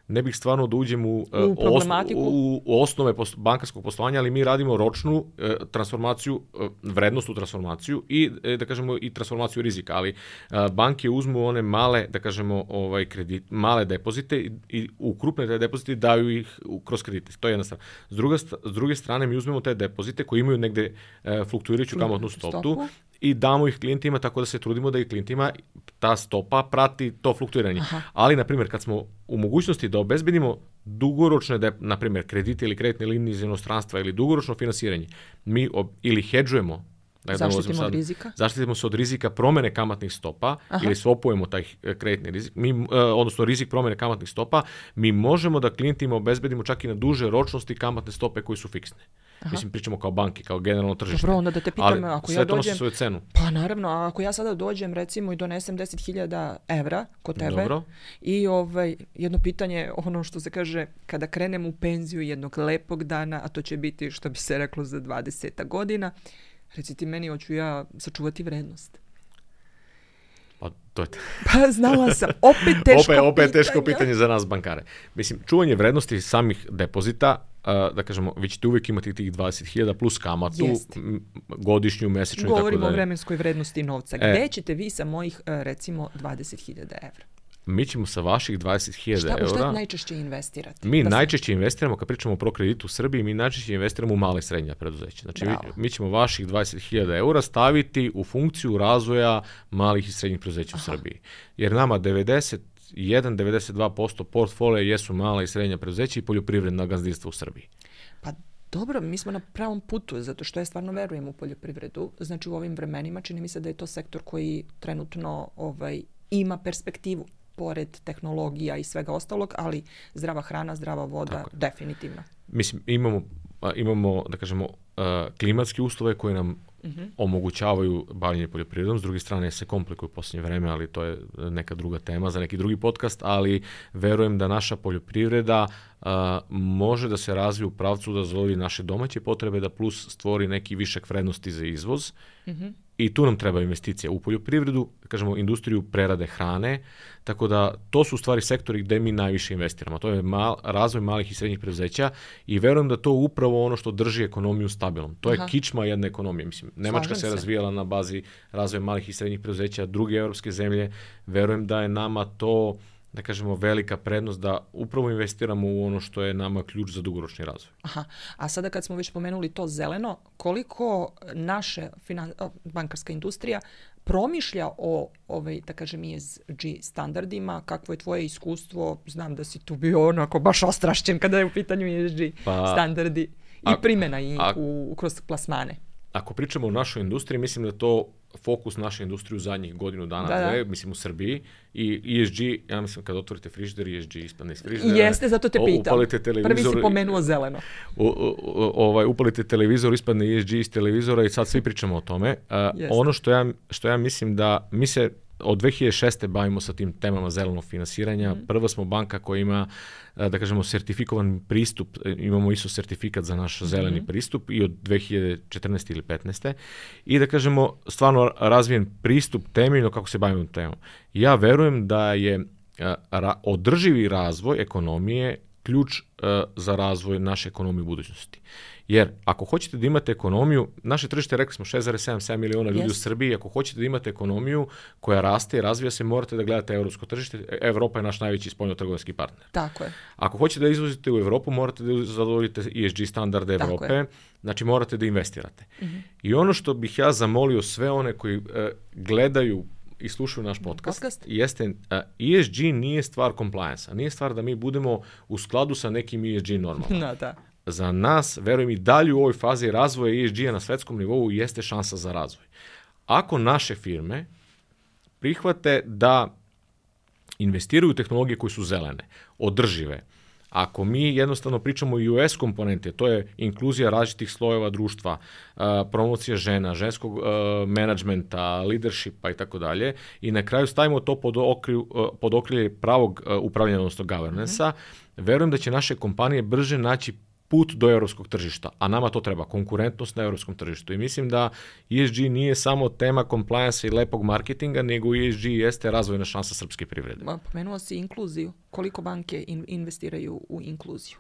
[SPEAKER 2] ne bih stvarno da uđem u,
[SPEAKER 1] u,
[SPEAKER 2] osno, u, u osnove post, bankarskog poslovanja, ali mi radimo ročnu e, transformaciju, e, vrednostnu transformaciju i e, da kažemo i transformaciju rizika, ali e, banke uzmu one male, da kažemo, ovaj kredit, male depozite i, i u krupne te depozite daju ih u, kroz kredite. To je jedna strana. S druge, s druge strane mi uzmemo te depozite koji imaju negde e, fluktuirajuću kamatnu stopu i damo ih klijentima, tako da se trudimo da i klijentima ta stopa prati to fluktuiranje.
[SPEAKER 1] Aha.
[SPEAKER 2] Ali, na primjer, kad smo u mogućnosti da obezbedimo dugoročne, de, na primjer, kredite ili kreditne linije iz inostranstva ili dugoročno finansiranje, mi ob, ili hedžujemo, da
[SPEAKER 1] zaštitimo
[SPEAKER 2] sad,
[SPEAKER 1] od rizika.
[SPEAKER 2] Zaštitimo se od rizika promene kamatnih stopa. Aha. Ili swapujemo taj kreditni rizik, mi, uh, odnosno rizik promene kamatnih stopa, mi možemo da klijentima obezbedimo čak i na duže ročnosti kamatne stope koji su fiksne. Aha. Mislim, pričamo kao banke, kao generalno tržište.
[SPEAKER 1] Dobro, onda da te pitam,
[SPEAKER 2] ali
[SPEAKER 1] ako
[SPEAKER 2] sve
[SPEAKER 1] ja
[SPEAKER 2] to
[SPEAKER 1] dođem...
[SPEAKER 2] nosi svoju cenu.
[SPEAKER 1] Pa naravno, a ako ja sada dođem recimo i donesem deset hiljada evra kod tebe.
[SPEAKER 2] Dobro.
[SPEAKER 1] I ovaj, jedno pitanje, ono što se kaže, kada krenem u penziju jednog lepog dana, a to će biti, što bi se reklo, za dvadeset godina, reci ti meni, hoću ja sačuvati vrednost.
[SPEAKER 2] Pa to je...
[SPEAKER 1] Pa znala sam, opet teško
[SPEAKER 2] opet, opet
[SPEAKER 1] pitanje.
[SPEAKER 2] teško pitanje za nas bankare. Mislim, čuvanje vrednosti samih depozita, uh, da kažemo, vi ćete uvijek imati tih dvadeset hiljada plus kamatu, m, godišnju, mesečnu i tako dalje.
[SPEAKER 1] Govorimo o vremenskoj vrednosti novca.
[SPEAKER 2] E,
[SPEAKER 1] Gde ćete vi sa mojih, recimo, dvadeset hiljada evra?
[SPEAKER 2] Mi ćemo sa vaših dvadeset hiljada eura...
[SPEAKER 1] Šta, šta najčešće investirate?
[SPEAKER 2] Mi
[SPEAKER 1] da
[SPEAKER 2] najčešće sam... investiramo, kad pričamo o prokreditu u Srbiji, mi najčešće investiramo u male i srednja preduzeća. Znači, mi, mi ćemo vaših dvadeset hiljada eura staviti u funkciju razvoja malih i srednjih preduzeća u Srbiji. Jer nama devedeset jedan do devedeset dva posto portfolija jesu mala i srednja preduzeća i poljoprivredna gazdinstva u Srbiji.
[SPEAKER 1] Pa dobro, mi smo na pravom putu, zato što ja stvarno verujem u poljoprivredu. Znači, u ovim vremenima čini mi se da je to sektor koji trenutno ovaj, ima perspektivu, pored tehnologija i svega ostalog, ali zdrava hrana, zdrava voda, definitivno.
[SPEAKER 2] Mislim, imamo, imamo da kažemo, klimatske uslove koje nam uh-huh. omogućavaju bavljenje poljoprivredom, s druge strane se komplikuju u posljednje vreme, ali to je neka druga tema za neki drugi podcast, ali verujem da naša poljoprivreda uh, može da se razvije u pravcu da zadovolji naše domaće potrebe, da plus stvori neki višak vrednosti za izvoz. Uh-huh. I tu nam treba investicija u poljoprivredu, kažemo industriju prerade hrane, tako da to su u stvari sektori gde mi najviše investiramo. To je mal, razvoj malih i srednjih preduzeća i verujem da to upravo ono što drži ekonomiju stabilnom. To Aha. je kičma jedne ekonomije. Mislim, Nemačka se razvijala na bazi razvoja malih i srednjih preduzeća, druge evropske zemlje. Verujem da je nama to, da kažemo, velika prednost da upravo investiramo u ono što je nama ključ za dugoročni razvoj.
[SPEAKER 1] Aha. A sada kad smo već pomenuli to zeleno, koliko naše finan... bankarska industrija promišlja o, ovaj, da kažem, E S G standardima, kakvo je tvoje iskustvo? Znam da si tu bio onako baš ostrašćen kada je u pitanju E S G pa, standardi i a, primjena i a, u, kroz plasmane.
[SPEAKER 2] Ako pričamo o našoj industriji, mislim da to fokus naše industrije u zadnjih godinu dana, da, dve, da. mislim u Srbiji, i E S G, ja mislim kad otvorite frižider, E S G ispadne iz frižidera.
[SPEAKER 1] Jeste, zato te pitam. Prvi si pomenuo zeleno.
[SPEAKER 2] U, u, ovaj, upalite televizor, ispadne E S G iz televizora i sad svi pričamo o tome. Uh, ono što ja, što ja mislim da, mi se od dve hiljade šeste bavimo sa tim temama zelenog finansiranja. Mm. Prva smo banka koja ima, da kažemo, sertifikovan pristup, imamo I S O sertifikat za naš zeleni mm. pristup i od dve hiljade četrnaeste ili petnaeste. I da kažemo, stvarno razvijen pristup temeljno kako se bavimo temom. Ja verujem da je ra- održivi razvoj ekonomije ključ uh, za razvoj naše ekonomije u budućnosti. Jer ako hoćete da imate ekonomiju, naše tržište, rekli smo, šest zarez sedam sedam miliona ljudi yes. u Srbiji, ako hoćete da imate ekonomiju koja raste i razvija se, morate da gledate evropsko tržište. Evropa je naš najveći spoljnotrgovinski partner.
[SPEAKER 1] Tako je.
[SPEAKER 2] Ako hoćete da izvozite u Evropu, morate da zadovoljite E S G standarde Evrope, znači morate da investirate. Mm-hmm. I ono što bih ja zamolio sve one koji uh, gledaju i slušaju naš podcast, podcast. jeste uh, E S G nije stvar compliance-a, nije stvar da mi budemo u skladu sa nekim E S G normama.
[SPEAKER 1] No, da.
[SPEAKER 2] Za nas, verujem i dalje u ovoj fazi razvoja E S G-a na svetskom nivou jeste šansa za razvoj. Ako naše firme prihvate da investiraju u tehnologije koje su zelene, održive, ako mi jednostavno pričamo i U S komponente, to je inkluzija različitih slojeva društva, promocija žena, ženskog menadžmenta, leadershipa i tako dalje, i na kraju stavimo to pod, okriju, pod okrilje pravog upravljanja, odnosno governance-a, mm-hmm. verujem da će naše kompanije brže naći put do europskog tržišta, a nama to treba, konkurentnost na europskom tržištu. I mislim da E S G nije samo tema compliance i lepog marketinga, nego E S G jeste razvojna šansa srpske privrede.
[SPEAKER 1] Pomenuo si inkluziju. Koliko banke in, investiraju u inkluziju?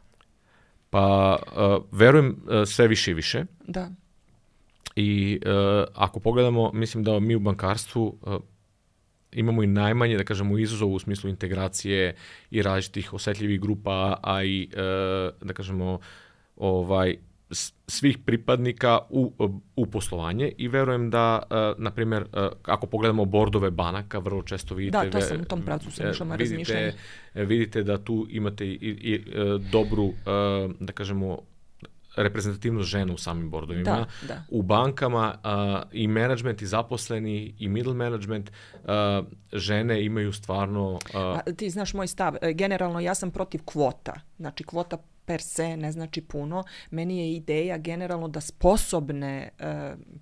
[SPEAKER 2] Pa, uh, verujem uh, sve više i više.
[SPEAKER 1] Da.
[SPEAKER 2] I uh, ako pogledamo, mislim da mi u bankarstvu uh, imamo i najmanje, da kažemo, izazov u smislu integracije i različitih osetljivih grupa, a i, uh, da kažemo, ovaj, svih pripadnika u, u poslovanje i verujem da, na primjer, ako pogledamo bordove banaka, vrlo često vidite...
[SPEAKER 1] Da, to sam u tom pravcu sam išla na razmišljanje.
[SPEAKER 2] Vidite da tu imate i, i dobru, da kažemo, reprezentativnost žena u samim bordovima.
[SPEAKER 1] Da, da.
[SPEAKER 2] U bankama uh, i management i zaposleni i middle management uh, žene imaju stvarno... Uh,
[SPEAKER 1] A, ti znaš moj stav. Generalno ja sam protiv kvota. Znači kvota per se ne znači puno. Meni je ideja generalno da sposobne uh,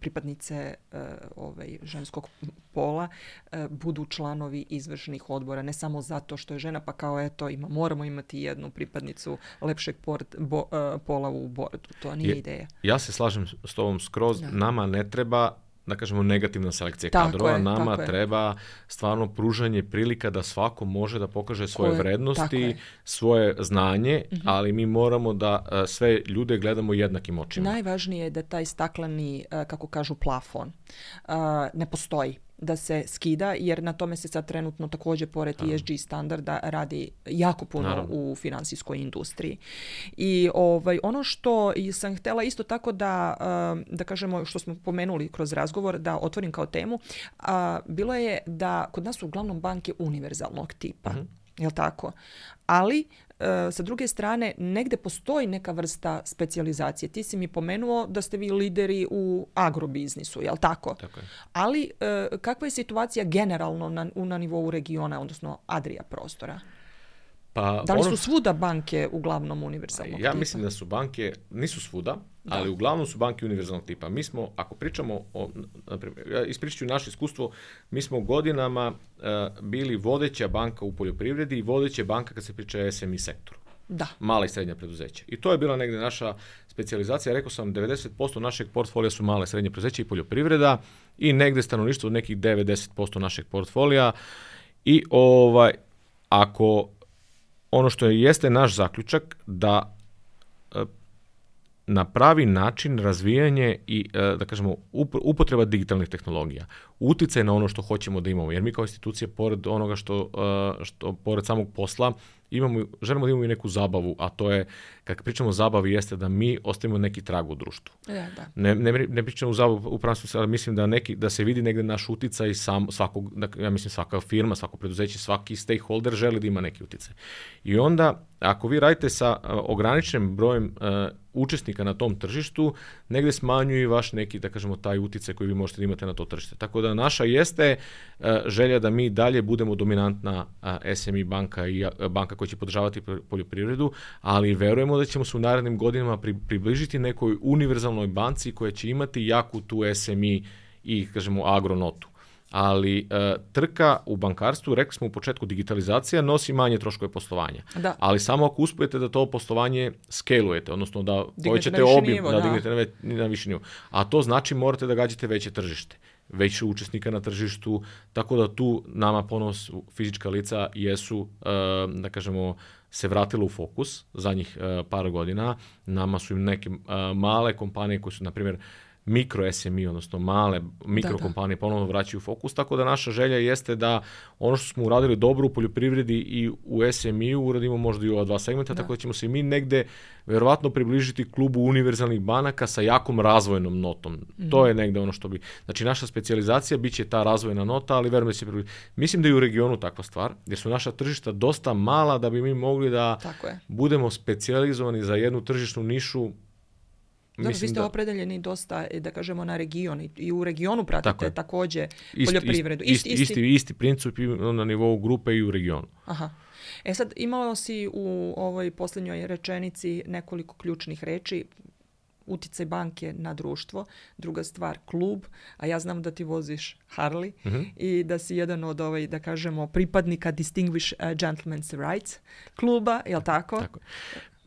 [SPEAKER 1] pripadnice uh, ovaj, ženskog pola uh, budu članovi izvršnih odbora. Ne samo zato što je žena, pa kao eto, ima, moramo imati jednu pripadnicu lepšeg port, bo, uh, pola u bordu. To nije
[SPEAKER 2] je,
[SPEAKER 1] ideja.
[SPEAKER 2] Ja se slažem s tobom skroz. Da. Nama ne treba, da kažemo, negativna selekcija
[SPEAKER 1] tako
[SPEAKER 2] kadrova.
[SPEAKER 1] Je,
[SPEAKER 2] Nama treba
[SPEAKER 1] je.
[SPEAKER 2] stvarno pružanje prilika da svako može da pokaže svoje
[SPEAKER 1] je,
[SPEAKER 2] vrednosti, svoje znanje, mm-hmm. ali mi moramo da uh, sve ljude gledamo jednakim očima.
[SPEAKER 1] Najvažnije je da taj stakleni, uh, kako kažu, plafon uh, ne postoji, da se skida, jer na tome se sad trenutno također pored E S G standarda radi jako puno Naravno. u finansijskoj industriji. I ovaj, ono što sam htjela isto tako da, da kažemo, što smo pomenuli kroz razgovor, da otvorim kao temu, bilo je da kod nas su uglavnom banke univerzalnog tipa. Uh-huh. Jel tako? Ali, sa druge strane, negde postoji neka vrsta specijalizacije. Ti si mi pomenuo da ste vi lideri u agrobiznisu, jel tako?
[SPEAKER 2] Tako je.
[SPEAKER 1] Ali, kakva je situacija generalno na, na nivou regiona, odnosno Adria prostora?
[SPEAKER 2] Pa,
[SPEAKER 1] da li
[SPEAKER 2] ono...
[SPEAKER 1] su svuda banke uglavnom univerzalnog
[SPEAKER 2] ja
[SPEAKER 1] tipa?
[SPEAKER 2] Mislim da su banke, nisu svuda, da. ali uglavnom su banke univerzalnog tipa. Mi smo, ako pričamo o, naprimjer, ja ispričat ću naše iskustvo, mi smo godinama uh, bili vodeća banka u poljoprivredi i vodeća banka kad se priča o S M E sektoru.
[SPEAKER 1] Da.
[SPEAKER 2] Mala i srednja preduzeća. I to je bila negdje naša specijalizacija. Rekao sam, devedeset posto našeg portfolija su male i srednje preduzeća i poljoprivreda i negdje stanovništvo od nekih devet do deset posto našeg portfolija. I ovaj, ako ono što je, jeste naš zaključak da e, na pravi način razvijanje i, e, da kažemo, upotreba digitalnih tehnologija, uticaj na ono što hoćemo da imamo, jer mi kao institucija, pored onoga što, e, što pored samog posla, imamo, želimo da imamo i neku zabavu, a to je, kad pričamo o zabavi, jeste da mi ostavimo neki trag u društvu.
[SPEAKER 1] Ja, da.
[SPEAKER 2] Ne, ne, ne pričamo o zabavu u pravom smislu, ali mislim da, neki, da se vidi negde naš uticaj sam, svakog, ja mislim svaka firma, svako preduzeće, svaki stakeholder želi da ima neki uticaj. I onda, ako vi radite sa uh, ograničenim brojem uh, učesnika na tom tržištu, negde smanjuje vaš neki, da kažemo, taj uticaj koji vi možete da imate na to tržište. Tako da naša jeste uh, želja da mi dalje budemo dominantna uh, S M E banka i uh, banka koja će podržavati poljoprivredu, ali verujemo da ćemo se u narednim godinama pri, približiti nekoj univerzalnoj banci koja će imati jaku tu S M E i, kažemo, agronotu. Ali e, trka u bankarstvu, rekli smo u početku, digitalizacija nosi manje troškove poslovanja.
[SPEAKER 1] Da.
[SPEAKER 2] Ali samo ako uspijete da to poslovanje skalujete, odnosno da povećate obim,
[SPEAKER 1] nivo,
[SPEAKER 2] da,
[SPEAKER 1] da.
[SPEAKER 2] dignete na, na viši nivo. A to znači morate da gađate veće tržište, veće učesnika na tržištu, tako da tu nama ponos fizička lica jesu, e, da kažemo, se vratilo u fokus zadnjih e, par godina. Nama su im neke e, male kompanije koje su, na primjer, mikro S M E, odnosno male mikrokompanije ponovno vraćaju u fokus, tako da naša želja jeste da ono što smo uradili dobro u poljoprivredi i u S M E-u uradimo možda i u ova dva segmenta, da. Tako da ćemo se mi negde verovatno približiti klubu univerzalnih banaka sa jakom razvojnom notom. Mm. To je negde ono što bi... Znači, naša specijalizacija bit će ta razvojna nota, ali verujem da se približiti. Mislim da je u regionu takva stvar, jer su naša tržišta dosta mala da bi mi mogli da budemo specijalizovani za jednu tržišnu nišu.
[SPEAKER 1] Da, vi ste da... opredeljeni dosta, da kažemo, na region i u regionu pratite također poljoprivredu.
[SPEAKER 2] Isti, isti, isti, isti princip na nivou grupe i u regionu.
[SPEAKER 1] Aha. E sad, imalo si u ovoj posljednjoj rečenici nekoliko ključnih reči. Uticaj banke na društvo, druga stvar klub, a ja znam da ti voziš Harley uh-huh. i da si jedan od, ovaj, da kažemo, pripadnika Distinguished Gentleman's Rights kluba, je li tako?
[SPEAKER 2] Tako.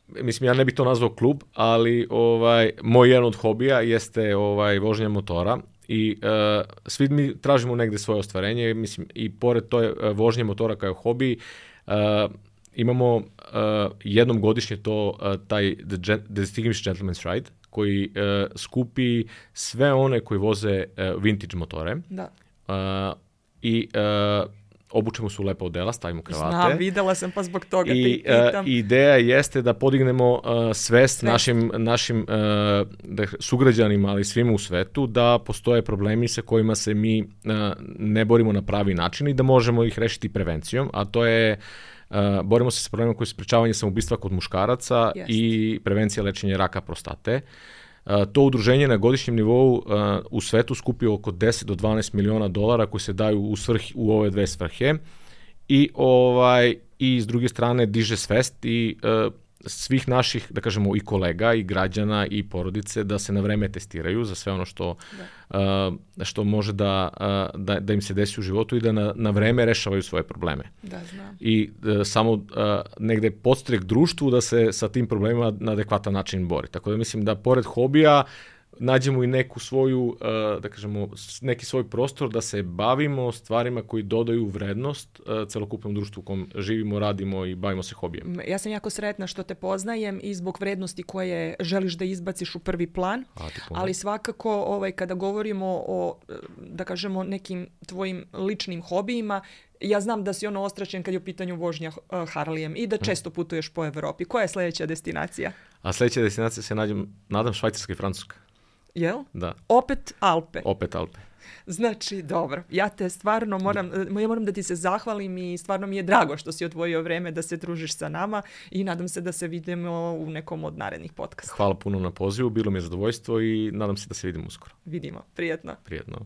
[SPEAKER 2] Mislim, ja ne bih to nazvao klub, ali ovaj, moj jedan od hobija jeste ovaj, vožnja motora i uh, svi mi tražimo negde svoje ostvarenje, mislim, i pored to je uh, vožnje motora kao hobi, uh, imamo uh, jednom godišnje to, uh, taj The Distinguished Gentleman's Ride, koji uh, skupi sve one koji voze uh, vintage motore.
[SPEAKER 1] Da.
[SPEAKER 2] Uh, I uh, obučemo se u lepa odela, stavimo kravate.
[SPEAKER 1] Znam, videla sam pa zbog toga te
[SPEAKER 2] I
[SPEAKER 1] i pitam.
[SPEAKER 2] uh, ideja jeste da podignemo uh, svest, svest našim, našim uh, da, sugrađanima, ali svima u svetu, da postoje problemi sa kojima se mi uh, ne borimo na pravi način i da možemo ih rešiti prevencijom, a to je Uh, borimo se sa problemima koji su sprečavanje samoubistva kod muškaraca Jest. i prevencija lečenja raka prostate. Uh, to udruženje na godišnjem nivou uh, u svetu skupi oko deset do dvanaest miliona dolara koji se daju u, svrhi, u ove dve svrhe i, ovaj, i s druge strane diže svest i uh, svih naših, da kažemo, i kolega i građana i porodice da se na vreme testiraju za sve ono što, uh, što može da, uh, da, da im se desi u životu i da na, na vreme rešavaju svoje probleme.
[SPEAKER 1] Da, znam.
[SPEAKER 2] I uh, samo uh, negde podstrek društvu da se sa tim problemima na adekvatan način bori. Tako da mislim da pored hobija nađemo i neku svoju, uh, da kažemo, neki svoj prostor da se bavimo stvarima koji dodaju vrednost uh, celokupnom društvu u kom živimo, radimo i bavimo se hobijem.
[SPEAKER 1] Ja sam jako sretna što te poznajem i zbog vrednosti koje želiš da izbaciš u prvi plan, ali svakako ovaj, kada govorimo o, da kažemo, nekim tvojim ličnim hobijima, ja znam da si ono ostračen kad je u pitanju vožnja uh, Harlijem i da često putuješ po Evropi. Koja je sljedeća destinacija?
[SPEAKER 2] A sljedeća destinacija se nađem, nadam, Švajcarska i Francuska.
[SPEAKER 1] Jel?
[SPEAKER 2] Da.
[SPEAKER 1] Opet Alpe.
[SPEAKER 2] Opet Alpe.
[SPEAKER 1] Znači, dobro. Ja te stvarno moram, ja moram da ti se zahvalim i stvarno mi je drago što si odvojio vreme da se družiš sa nama i nadam se da se vidimo u nekom od narednih podcasta.
[SPEAKER 2] Hvala puno na pozivu, bilo mi je zadovoljstvo i nadam se da se vidimo uskoro.
[SPEAKER 1] Vidimo. Prijetno.
[SPEAKER 2] Prijetno.